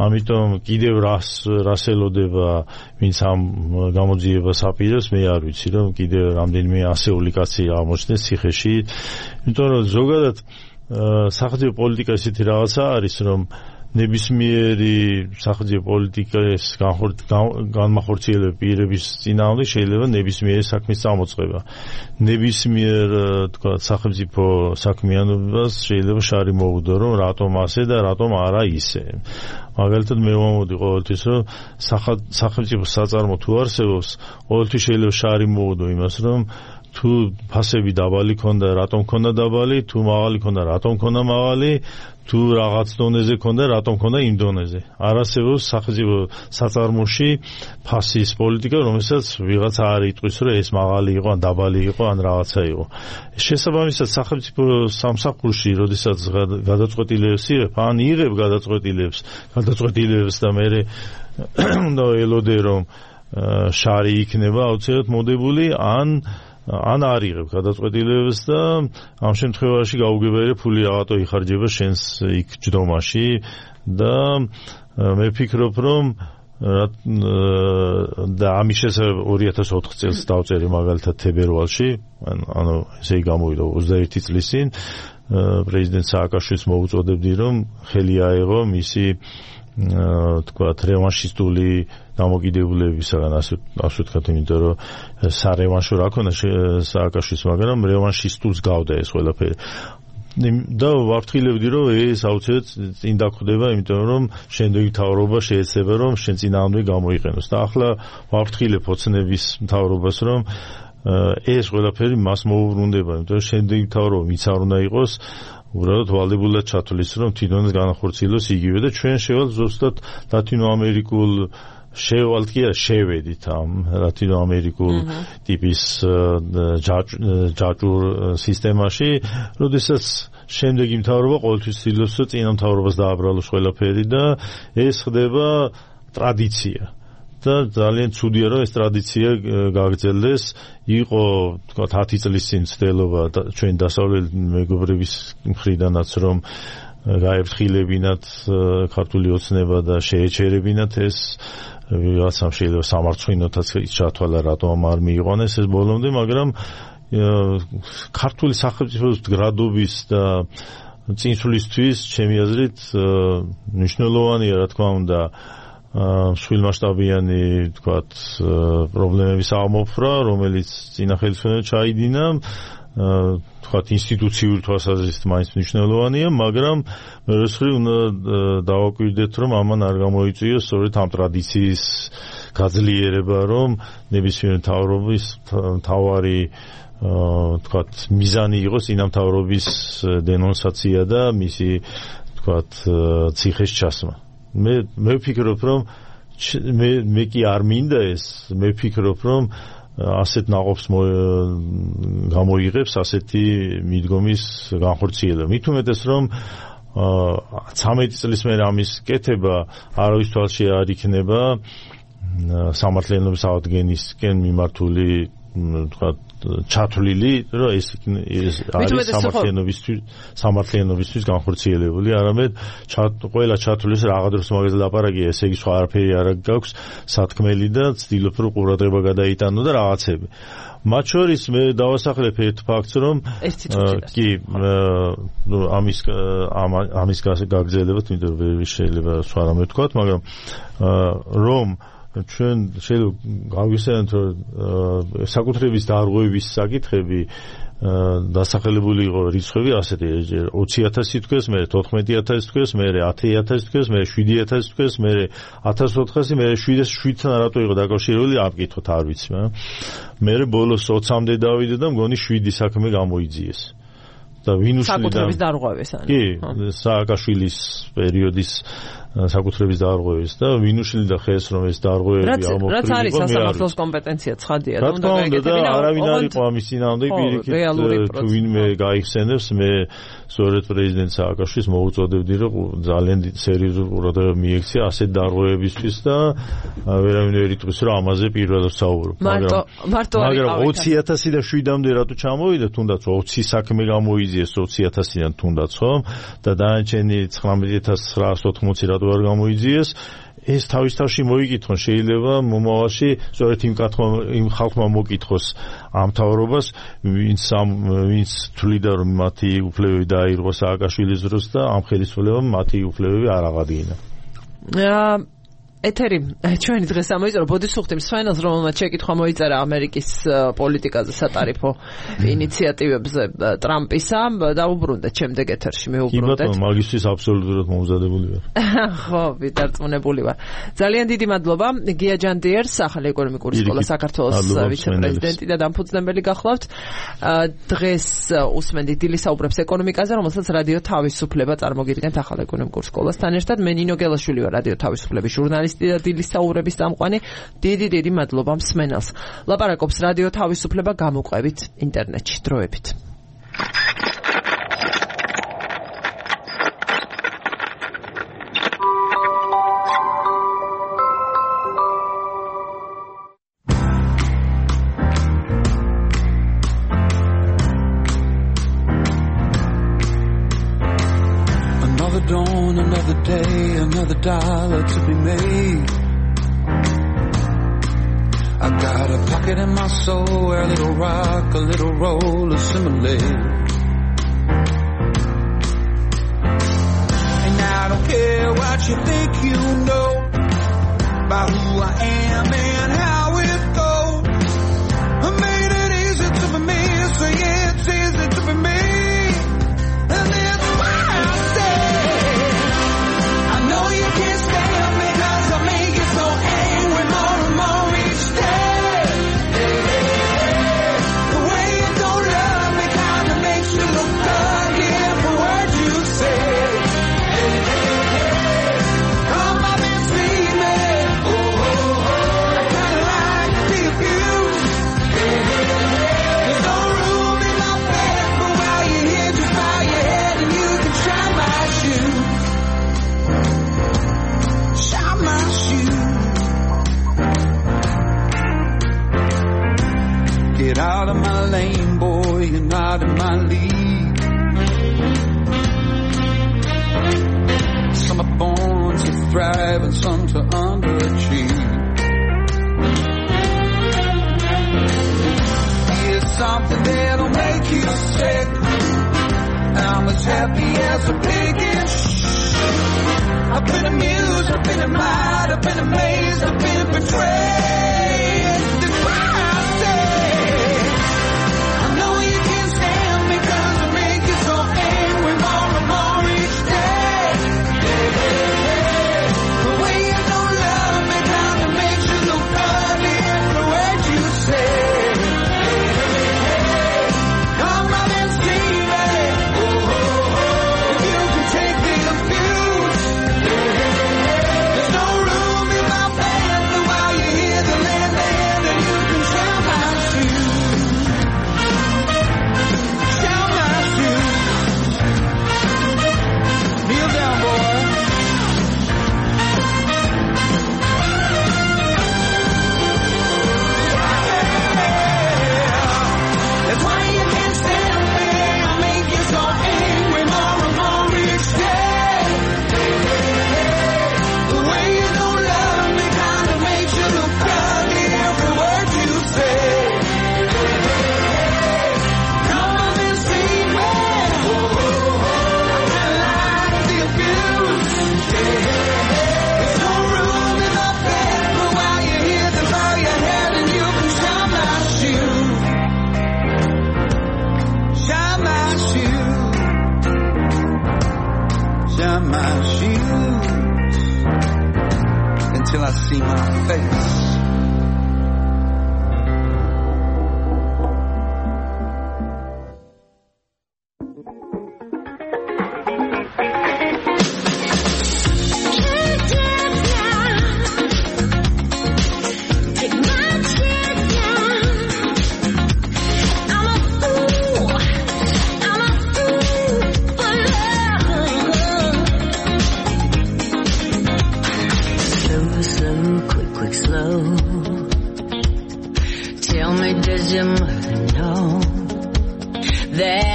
ამიტომ კიდევ რას რას ელოდება ვინც ამ გამოძიებას აპირებს მე არ ვიცი რომ კიდევ რამდენიმე ასეული კაცი აღმოჩნდეს ციხეში. იმიტომ რომ ზოგადად სახელმწიფო პოლიტიკა ისეთი რაღაცა არის რომ ნებისმიერი სახელმწიფო პოლიტიკის განმახორციელებელი პირების წინააღმდეგ შეიძლება ნებისმიერი საქმის წამოწყება. ნებისმიერ თქვა სახელმწიფო საქმიანობას შეიძლება შარი მოუდო რომ რატომ ასე და რატომ არა ისე. მაგალითად მე ვამოდი ყოველთვის რომ სახელმწიფო საწარმო თუ არსებობს ყოველთვის შეიძლება შარი მოუდო იმას რომ თუ ფასები დაბალი ქონდა რატომ ქონდა დაბალი, თუ მაღალი ქონდა რატომ ქონდა მაღალი, თუ რაღაც დონეზე ქონდა რატომ ქონდა იმ დონეზე. არ არსებობს სახელმწიფო საწარმოში ფასის პოლიტიკა, რომელსაც ვიღაცა არ იტყვის რომ ეს მაღალი იყო, ან დაბალი იყო, ან რაღაცა იყო. შესაბამისად სახელმწიფო სამსახურში, როდესაც გადაწყვეტილებებს იღებ, ან იღებ გადაწყვეტილებებს, გადაწყვეტილებებს და მე უნდა ელოდე რომ შარი იქნება აუცილებლად მოდებული, ან ან არ იღებ გადაწყვეტილებებს და ამ შემთხვევაში გაუგებარი ფული რაღაცო იხარჯება შენს იქ ჯდომაში და მე ვფიქრობ რომ და ამის შესახებ ორი ათას ოთხ წელს დავწერე მაგალითად თებერვალში ანუ ესე იგი გამოვიდა ოცდაერთი წლის წინ პრეზიდენტ სააკაშვილის მოუწოდებდი რომ ხელი აეღო მისი თქვათ რევანშისტული დამოკიდებულებისაგან ასე ასე ვთქვათ იმიტომ რომ სარევანშო რა ქონდა სააკაშვილის მაგრამ რევანშისტულს გავდა ეს ყველაფერი და ვაფრთხილებდი რომ ეს აუცილებლად წინ დაგხვდება იმიტომ რომ შემდეგი მთავრობა შეეცდება რომ შენ წინააღმდეგ გამოიყენოს და ახლა ვაფრთხილებ ოცნების მთავრობას რომ ეს ყველაფერი მას მოუბრუნდება იმიტომ რომ შემდეგი მთავრობა ვინც არ უნდა იყოს უბრალოდ ვალდებულად ჩათვლის რომ თვითონაც განახორციელოს იგივე და ჩვენ შევალ ზუსტად ლათინო ამერიკულ შევალთ კი არა შევედით ამ ლათინო ამერიკულ ტიპის ჯაჭვურ სისტემაში როდესაც შემდეგი მთავრობა ყოველთვის ცდილობს რომ წინა მთავრობას დააბრალოს ყველაფერი და ეს ხდება ტრადიცია და ძალიან ცუდია რომ ეს ტრადიცია გაგრძელდეს იყო თქვა ათი წლის წინ ცდელობა ჩვენ დასავლეთ მეგობრების მხრიდანაც რომ გაეფრთხილებინათ ქართული ოცნება და შეეჩერებინათ ეს ვიღაცამ შეიძლება სამარცხვინოთაც ჩათვალა რატომ არ მიიყვანეს ეს ბოლომდე მაგრამ ქართული სახელმწიფოს მდგრადობის და წინსვლისთვის ჩემი აზრით მნიშვნელოვანია რა თქმა უნდა სრულმასშტაბიანი თქვათ პრობლემების აღმოფხვრა, რომელიც წინა ხელისუფლებამ ჩაიდინა, თქვათ ინსტიტუციური თვალსაზრისით მაინც მნიშვნელოვანია, მაგრამ მერე უნდა დავაკვირდეთ, რომ ამან არ გამოიწვიოს სწორედ ამ ტრადიციის გაძლიერება, რომ ნებისმიერ მთავრობის მთავარი თქვათ მიზანი იყოს წინა მთავრობის დენონსაცია და მისი თქვათ ციხეს ჩასმა. მე მე ვფიქრობ რომ მე მე კი არ მინდა ეს მე ვფიქრობ რომ ასეთ ნაყოფს გამოიღებს ასეთი მიდგომის განხორციელება მით უმეტეს რომ ცამეტი წლის მერე ამის კეთება არავის თვალში არ იქნება სამართლიანობის აღდგენისკენ მიმართული თქვა ჩათვლილი რომ ეს არის სამართლიანობისთვის სამართლიანობისთვის განხორციელებული არამედ ყველა ჩათვლის რაღაც დროს მაგაზე ლაპარაკია ესე იგი სხვა არაფერი არ გაქვს სათქმელი და ცდილობ რომ ყურადღება გადაიტანო და რაღაცები მათ შორის მე დავასახლებ ერთ ფაქტს რომ კი ნუ ამის ამის გაგრძელებათ იმიტომ ვერ შეიძლება სხვა რამე ვთქვათ მაგრამ რომ ჩვენ შეიძლება გავიხსენოთ რომ საკუთრების დარღვევის საკითხები დასახელებული იყო რიცხვები ასეთი ოცი ათასი თქვეს, მე თოთხმეტი ათასი თქვეს, მე ათი ათასი თქვეს, მე შვიდი ათასი თქვეს, მე ათას ოთხასი, მე შვიდთან რატო იყო დაკავშირებული აკითხოთ არ ვიცი, მე ბოლოს ოცამდე დავიდე და მგონი შვიდი საქმე გამოიძიეს. და ვინ უშლიდა საკუთრების დარღვევას კი სააკაშვილის პერიოდის საკუთრების დაარღვევის და ვინ უშლიდა ხელს რომ ეს დაარღვევები აღმოფხვრილიყო რაც არის სასამართლოს კომპეტენცია ცხადია და უნდა გაიგეთ არავინ არ იყო ამის წინააღმდეგ პირიქით თუ ვინმე გაიხსენებს მე სწორედ პრეზიდენტ სააკაშვილის მოუწოდებდი რომ ძალიან სერიოზულ ყურადღება მიექცია ასეთ დაარღვევებისთვის და ვერავინ ვერ იტყვის რომ ამაზე პირველად საუბრობ მაგრამ მაგრამ ოცი ათასი და შვიდამდე რატო ჩამოვიდა თუნდაც ოცი საქმე გამოიძიეს ოცი ათასიდან თუნდაც ხო და დანარჩენი ცხრამეტი ათას ცხრაასი ოთხმოცი რატო არ გამოიძიეს ეს თავის თავში მოიკითხონ შეიძლება მომავალში სწორედ იმ კითხვა იმ ხალხმა მოკითხოს ამ თავრობას ვინც ვინც თვლიდა რომ მათი უფლებები დაირღვა სააკაშვილის დროს და ამ ხელისუფლებამ მათი უფლებები არ აღადგინა ეთერი ჩვენი დღეს ამოიწერა ბოდისუხტი მსვენელს რომელმაც შეკითხვა მოიწერა ამერიკის პოლიტიკაზე სატარიფო ინიციატივებზე ტრამპისა დაუბრუნდეთ შემდეგ ეთერში მეუბრუნდეთ კი ბატონო მაგისთვის აბსოლუტურად მომზადებული ვარ ხო ვიდარწმუნებული ვარ ძალიან დიდი მადლობა გია ჯანდიერს ახალი ეკონომიკური სკოლა საქართველოს ვიცე-პრეზიდენტი და დამფუძნებელი გახლავთ დღეს უსმენთ დილის საუბრებს ეკონომიკაზე რომელსაც რადიო თავისუფლება წარმოგიდგენთ ახალ ეკონომიკურ სკოლასთან ერთად მე ნინო გელაშვილი ვარ რადიო თავისუფლების ჟურნალისტი და დილის საუბრების წამყვანი დიდი დიდი მადლობა მსმენელს ლაპარაკობს რადიო თავისუფლება გამოყვებით ინტერნეტში დროებით Another dawn, another day, another dollar to be made. I got a pocket in my soul where a little rock, a little roll assimilate. And I don't care what you think you know about who I am and how it goes. I made it easy to be me, so yeah, it's easy to be me. And that's why I say I know you can't stand me cause I make you so angry more and more each day. The way you don't love me kinda makes you look ugly every word you say. Come on and see me. Oh, oh, oh. I kinda like to be abused. There's no room in my bed, but while you're here just bow your head and you can try my shoe. Shine my shoe. Get out of my lane, boy, you're not in my league. Some are born to thrive and some to underachieve. Here's something that'll make you sick. I'm as happy as a pig in shh. I've been amused, I've been admired, I've been amazed, I've been betrayed. That's why I say I know you can't stand me cause I make you so angry more and more each day. The way you don't love me kinda makes you look ugly every word you say. Come on and see me. Oh, oh, oh. If you can take the abuse. There's no room in my bed, but while you're here, the land land, and you can shine my shoes. Shine my shoes. Kneel down, boy. That's why you can't stand me. I make you so angry more and more each day. The way you don't love me kinda makes you look ugly every word you say. Come on and see me. Oh, oh, oh. I kinda like the abuse. There's no room in my bed, but while you're here, then bow your head and you can shine my shoe. Shine my shoe. Shine my shoes until I see my face. Can't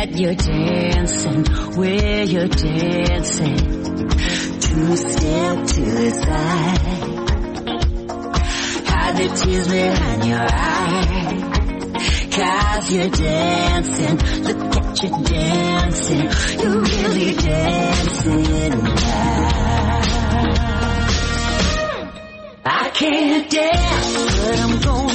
that you're dancing, where you're dancing, two step to the side, hide the tears behind your eyes, cause you're dancing, look at you dancing, you're really dancing now. I can't dance, but I'm going